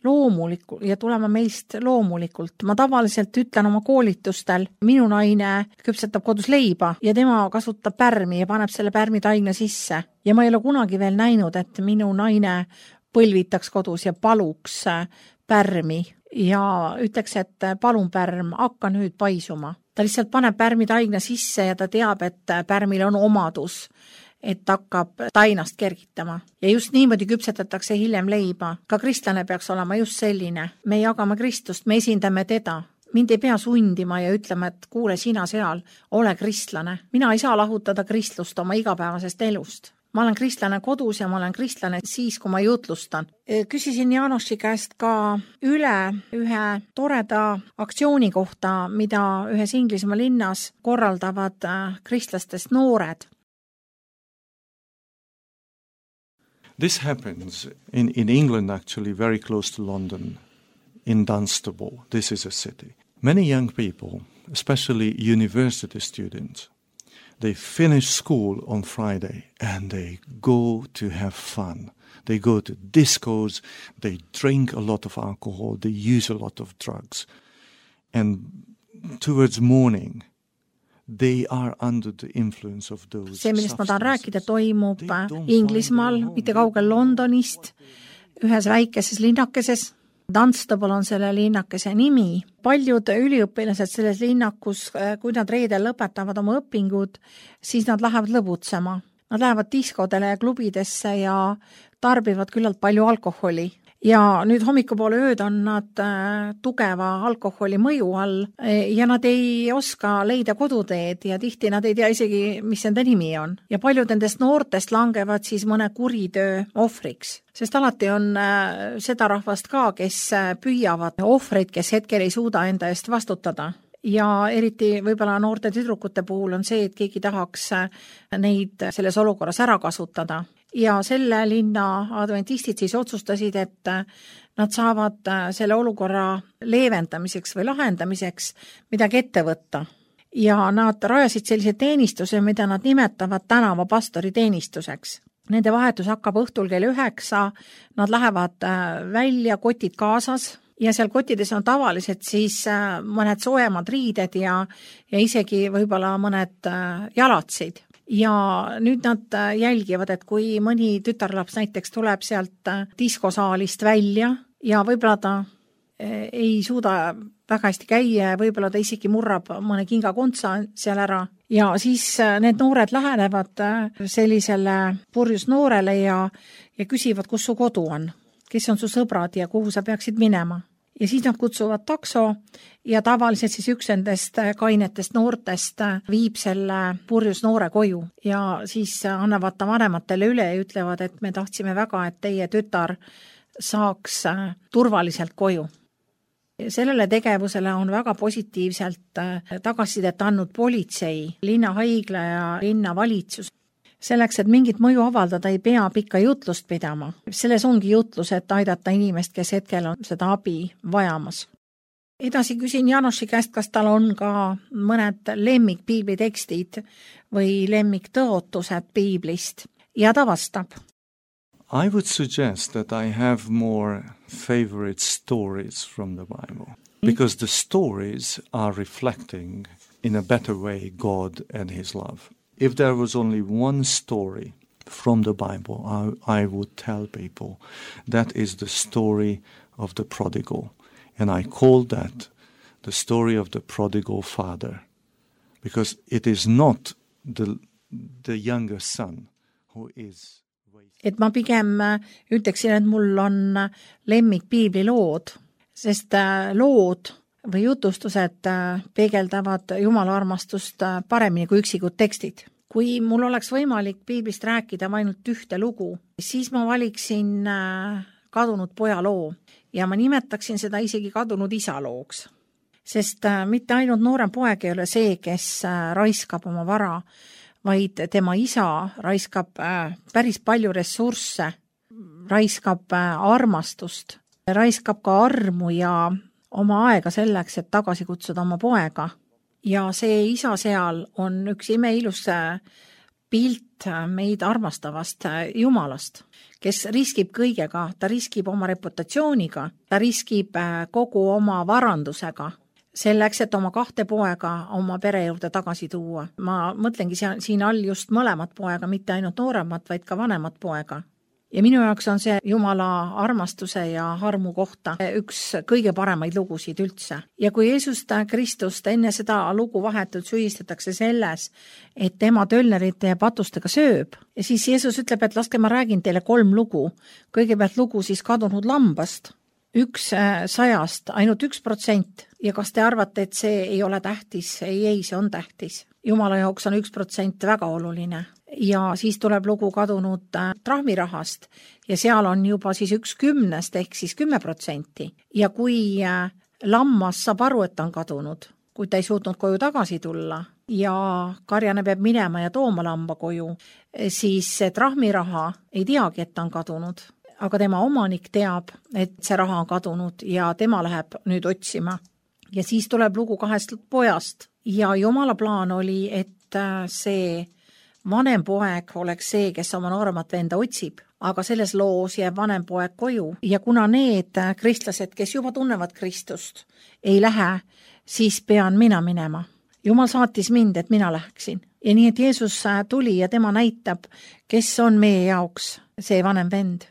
loomulikult ja tulema meist loomulikult. Ma tavaliselt ütlen oma koolitustel, minu naine küpsetab kodus leiba ja tema kasutab pärmi ja paneb selle pärmi taigna sisse. Ja ma ei ole kunagi veel näinud, et minu naine põlvitaks kodus ja paluks pärmi ja ütleks, et palun pärm, hakka nüüd paisuma. Ta lihtsalt paneb pärmi taigna sisse ja ta teab, et pärmil on omadus, et hakkab tainast kergitama. Ja just niimoodi küpsetatakse hiljem leiba. Ka kristlane peaks olema just selline. Me jagame Kristust, me esindame teda. Mind ei pea sundima ja ütlema, et kuule sina seal, ole kristlane. Mina ei saa lahutada kristlust oma igapäevasest elust. Ma olen kristlane kodus ja ma olen kristlane siis, kui ma jutlustan. Küsisin Jaanoši käest ka üle ühe toreda aktsiooni kohta, mida ühes Inglismaa linnas korraldavad kristlastest noored.
This happens in, in England, actually, very close to London, in Dunstable. This is a city. Many young people, especially university students, they finish school on Friday and they go to have fun. They go to discos, they drink a lot of alcohol, they use a lot of drugs. And towards morning, they are under the influence of those
see, millest ma tahan rääkida, toimub Inglismaal, mitte kaugel Londonist, ühes väikeses linnakeses. Dunstable on selle linnakese nimi. Paljud üliõpilased selles linnakus, kui nad reedel lõpetavad oma õpingud, siis nad lähevad lõbutsema. Nad lähevad diskodele ja klubidesse ja tarbivad küllalt palju alkoholi. Ja nüüd hommikupoole ööd on nad äh, tugeva alkoholi mõju all ja nad ei oska leida koduteed ja tihti nad ei tea isegi, mis nende nimi on. Ja paljud nendest noortest langevad siis mõne kuritöö ohvriks. Sest alati on äh, seda rahvast ka, kes äh, püüavad ohvreid, kes hetkel ei suuda enda eest vastutada. Ja eriti võib-olla noorte tüdrukute puhul on see, et keegi tahaks neid selles olukorras ära kasutada. Ja selle linna adventistid siis otsustasid, et nad saavad selle olukorra leevendamiseks või lahendamiseks midagi ette võtta. Ja nad rajasid sellise teenistuse, mida nad nimetavad tänavapastori teenistuseks. Nende vahetus hakkab õhtul kell üheksa, nad lähevad välja, kotid kaasas, ja seal kotides on tavaliselt siis mõned soojemad riided ja, ja isegi võib-olla mõned jalatsid. Ja nüüd nad jälgivad, et kui mõni tütarlaps näiteks tuleb sealt diskosaalist välja ja võib-olla ta ei suuda väga hästi käia ja võib-olla ta isegi murrab mõne kingakontsa seal ära. Ja siis need noored lähenevad sellisele purjus noorele ja, ja küsivad, kus su kodu on, kes on su sõbrad ja kuhu sa peaksid minema. Ja siis nad kutsuvad takso ja tavaliselt siis üks nendest kainetest noortest viib selle purjus noore koju ja siis annavad ta vanematele üle ja ütlevad, et me tahtsime väga, et teie tütar saaks turvaliselt koju. Sellele tegevusele on väga positiivselt tagasisidet andnud politsei, linnahaigla ja linnavalitsus. Selleks, et mingit mõju avaldada, ei pea pikka jutlust pidama. Selles ongi jutlus, et aidata inimest, kes hetkel on seda abi vajamas. Edasi küsin Jaanoši käest, kas tal on ka mõned lemmik piiblitekstid või lemmik tõotused piiblist ja ta vastab.
I would suggest that I have more favorite stories from the Bible, because the stories are reflecting in a better way God and His love. If there was only one story from the Bible, I, I would tell people that is the story of the prodigal. And I call that the story of the prodigal father, because it is not the, the younger son who is...
et ma pigem ütleksin, et mul on lemmik piiblilood, sest lood või jutustused peegeldavad Jumala armastust paremini kui üksikud tekstid. Kui mul oleks võimalik piiblist rääkida ainult ühte lugu, siis ma valiksin kadunud poja loo ja ma nimetaksin seda isegi kadunud isa looks. Sest mitte ainult noorem poeg ei ole see, kes raiskab oma vara, vaid tema isa raiskab päris palju ressursse, raiskab armastust, raiskab ka armu ja oma aega selleks, et tagasi kutsuda oma poega. Ja see isa seal on üks imeilus pilt meid armastavast Jumalast, kes riskib kõigega, ta riskib oma reputatsiooniga, ta riskib kogu oma varandusega, selleks, et oma kahte poega oma pere juurde tagasi tuua. Ma mõtlengi siin all just mõlemat poega, mitte ainult nooremat, vaid ka vanemat poega. Ja minu jaoks on see Jumala armastuse ja harmu kohta üks kõige paremaid lugusid üldse. Ja kui Jeesust Kristust enne seda lugu vahetult süüdistatakse selles, et tema tölnerite ja patustega sööb, ja siis Jeesus ütleb, et laske ma räägin teile kolm lugu. Kõigepealt lugu siis kadunud lambast, üks sajast, ainult üks protsent. Ja kas te arvate, et see ei ole tähtis? Ei, ei, see on tähtis. Jumala jaoks on üks protsent väga oluline. Ja siis tuleb lugu kadunud trahmirahast ja seal on juba siis üks kümnest ehk siis kümme protsenti. Ja kui lammas saab aru, et ta on kadunud, kui ta ei suutnud koju tagasi tulla ja karjane peab minema ja tooma lamba koju, siis see trahmiraha ei teagi, et ta on kadunud. Aga tema omanik teab, et see raha on kadunud ja tema läheb nüüd otsima. Ja siis tuleb lugu kahest pojast ja Jumala plaan oli, et see vanem poeg oleks see, kes oma nooremat venda otsib, aga selles loos jääb vanem poeg koju. Ja kuna need kristlased, kes juba tunnevad Kristust, ei lähe, siis pean mina minema. Jumal saatis mind, et mina läheksin. Ja nii, et Jeesus tuli ja tema näitab, kes on meie jaoks see vanem vend.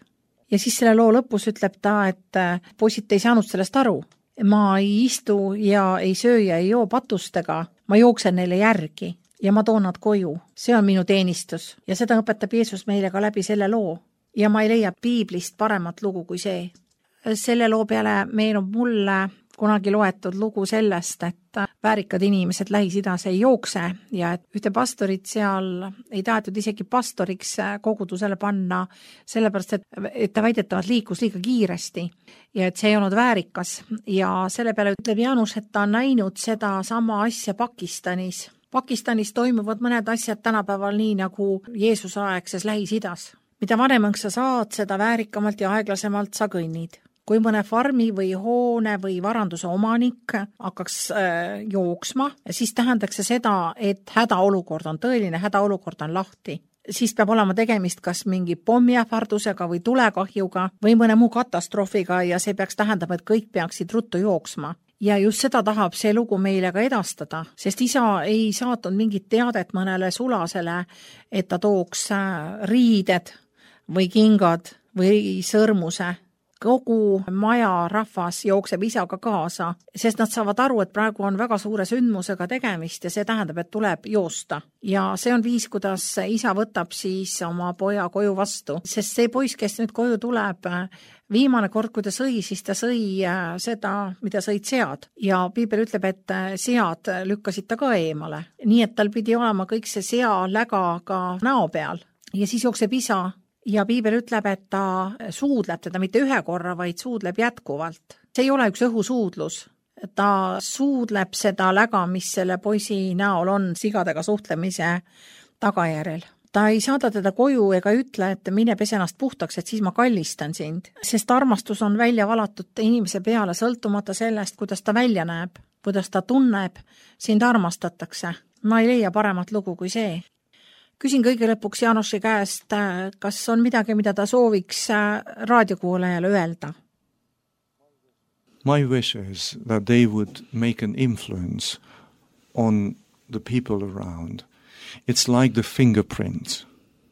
Ja siis selle loo lõpus ütleb ta, et poisid ei saanud sellest aru. Ma ei istu ja ei söö ja ei joo patustega, ma jooksen neile järgi ja ma toon nad koju. See on minu teenistus ja seda õpetab Jeesus meile ka läbi selle loo. Ja ma ei leia piiblist paremat lugu kui see. Selle loo peale meenub mulle kunagi loetud lugu sellest, et väärikad inimesed Lähis-Idas ei jookse ja et ühte pastorit seal ei tahetud isegi pastoriks kogudusele panna, sellepärast, et, et ta väidetavalt liikus liiga kiiresti ja et see ei olnud väärikas. Ja selle peale ütleb Jaanus, et ta on näinud seda sama asja Pakistanis. Pakistanis toimuvad mõned asjad tänapäeval nii nagu Jeesuse aegses Lähis-Idas. Mida vanemaks sa saad, seda väärikamalt ja aeglasemalt sa kõnnid. Kui mõne farmi või hoone või varanduse omanik hakkaks äh, jooksma, siis tähendaks see seda, et hädaolukord on tõeline, hädaolukord on lahti. Siis peab olema tegemist kas mingi pommiähvardusega või tulekahjuga või mõne muu katastroofiga ja see peaks tähendama, et kõik peaksid ruttu jooksma. Ja just seda tahab see lugu meile ka edastada, sest isa ei saatnud mingit teadet mõnele sulasele, et ta tooks riided või kingad või sõrmuse. Kogu maja rahvas jookseb isaga kaasa, sest nad saavad aru, et praegu on väga suure sündmusega tegemist ja see tähendab, et tuleb joosta. Ja see on viis, kuidas isa võtab siis oma poja koju vastu, sest see poiss, kes nüüd koju tuleb, viimane kord, kui ta sõi, siis ta sõi seda, mida sõid sead. Ja piibel ütleb, et sead lükkasid ta ka eemale. Nii, et tal pidi olema kõik see sea läga ka näo peal. Ja siis jookseb isa. Ja piibel ütleb, et ta suudleb teda mitte ühe korra, vaid suudleb jätkuvalt. See ei ole üks õhusuudlus. Ta suudleb seda läga, mis selle poisi näol on sigadega suhtlemise tagajärjel. Ta ei saada teda koju ega ütle, et mine pese ennast puhtaks, et siis ma kallistan sind. Sest armastus on välja valatud inimese peale, sõltumata sellest, kuidas ta välja näeb, kuidas ta tunneb, sind armastatakse. Ma ei leia paremat lugu kui see. Küsin kõige lõpuks Jaanoši käest, kas on midagi, mida ta sooviks raadiokuulajale öelda?
My wish is that they would make an influence on the people around. It's like the fingerprints,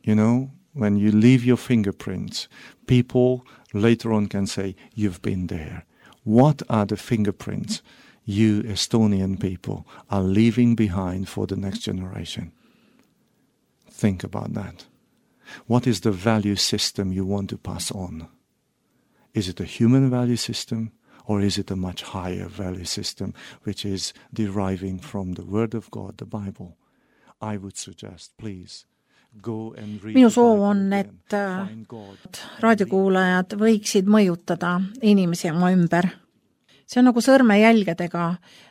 you know, when you leave your fingerprints, people later on can say, you've been there. What are the fingerprints you Estonian people are leaving behind for the next generation? Think about that. What is the value system you want to pass on? Is it a human value system? Or is it a much higher value system, which is deriving from the Word of God, the Bible? I would suggest, please, go and read
Minu soov on, et raadiokuulajad võiksid mõjutada inimesi oma ümber. See on nagu sõrmejälgedega.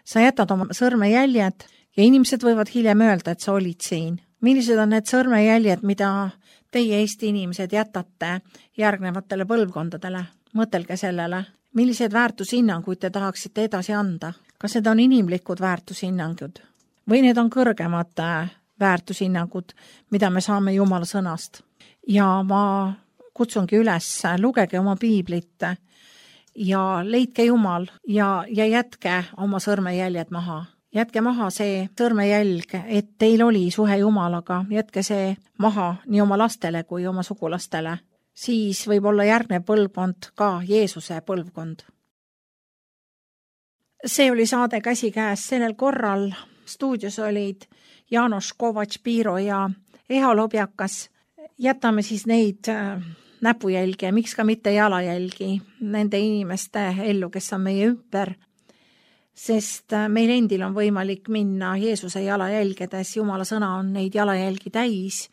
Sa jätad oma sõrmejäljed ja inimesed võivad hiljem öelda, et sa olid siin. Millised on need sõrmejäljed, mida teie Eesti inimesed jätate järgnevatele põlvkondadele? Mõtelge sellele. Millised väärtushinnanguid te tahaksite edasi anda? Kas need on inimlikud väärtushinnangud? Või need on kõrgemad väärtushinnangud, mida me saame Jumala sõnast? Ja ma kutsungi üles, lugege oma piiblit ja leidke Jumal ja, ja jätke oma sõrmejäljed maha. Jätke maha see sõrmejälg, et teil oli suhe Jumalaga. Jätke see maha nii oma lastele kui oma sugulastele. Siis võib olla järgnev põlvkond ka Jeesuse põlvkond. See oli saade Käsikäes. Sellel korral stuudios olid Jaanoš Kovač-Piiro ja Eha Lobjakas. Jätame siis neid näpujälgi ja miks ka mitte jalajälgi nende inimeste ellu, kes on meie ümber. Sest meil endil on võimalik minna Jeesuse jalajälgedes. Jumala sõna on neid jalajälgi täis.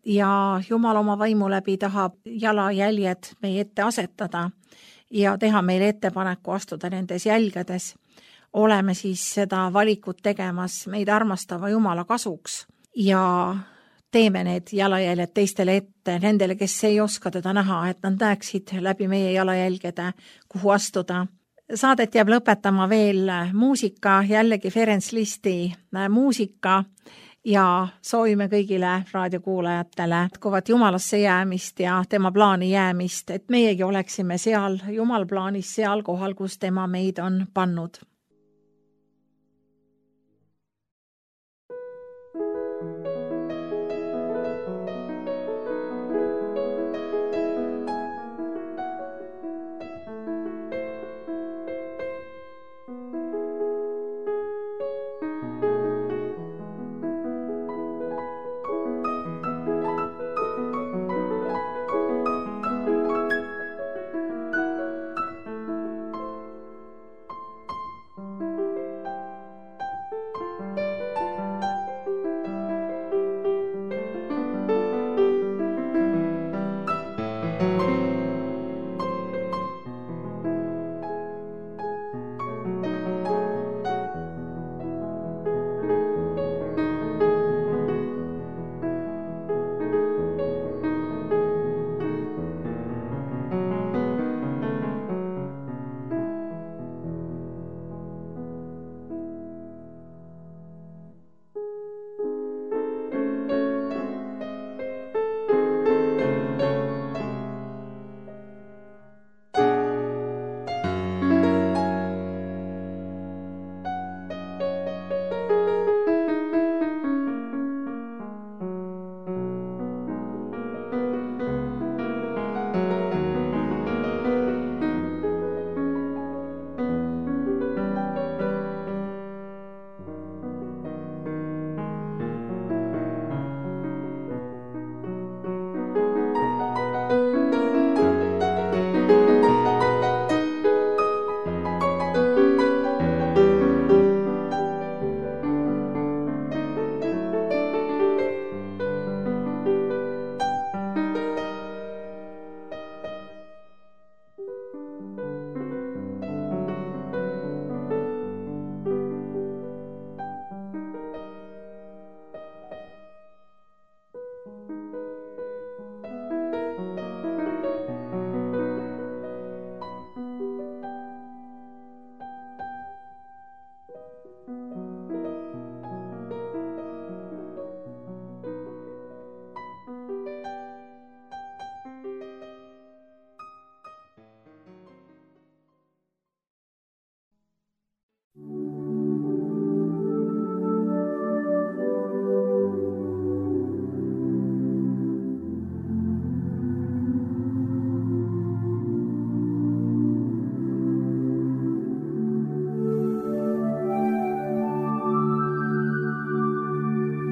Ja Jumal oma vaimu läbi tahab jalajäljed meie ette asetada ja teha meile ettepaneku astuda nendes jälgedes. Oleme siis seda valikut tegemas meid armastava Jumala kasuks ja teeme need jalajäljed teistele ette, nendele, kes ei oska teda näha, et nad näeksid läbi meie jalajälgede, kuhu astuda. Saadet jääb lõpetama veel muusika, jällegi Ferenc Listi muusika. Ja soovime kõigile raadiokuulajatele jätkuvat Jumalasse jäämist ja tema plaani jäämist, et meiegi oleksime seal Jumal plaanis seal kohal, kus tema meid on pannud.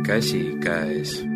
käsi käes.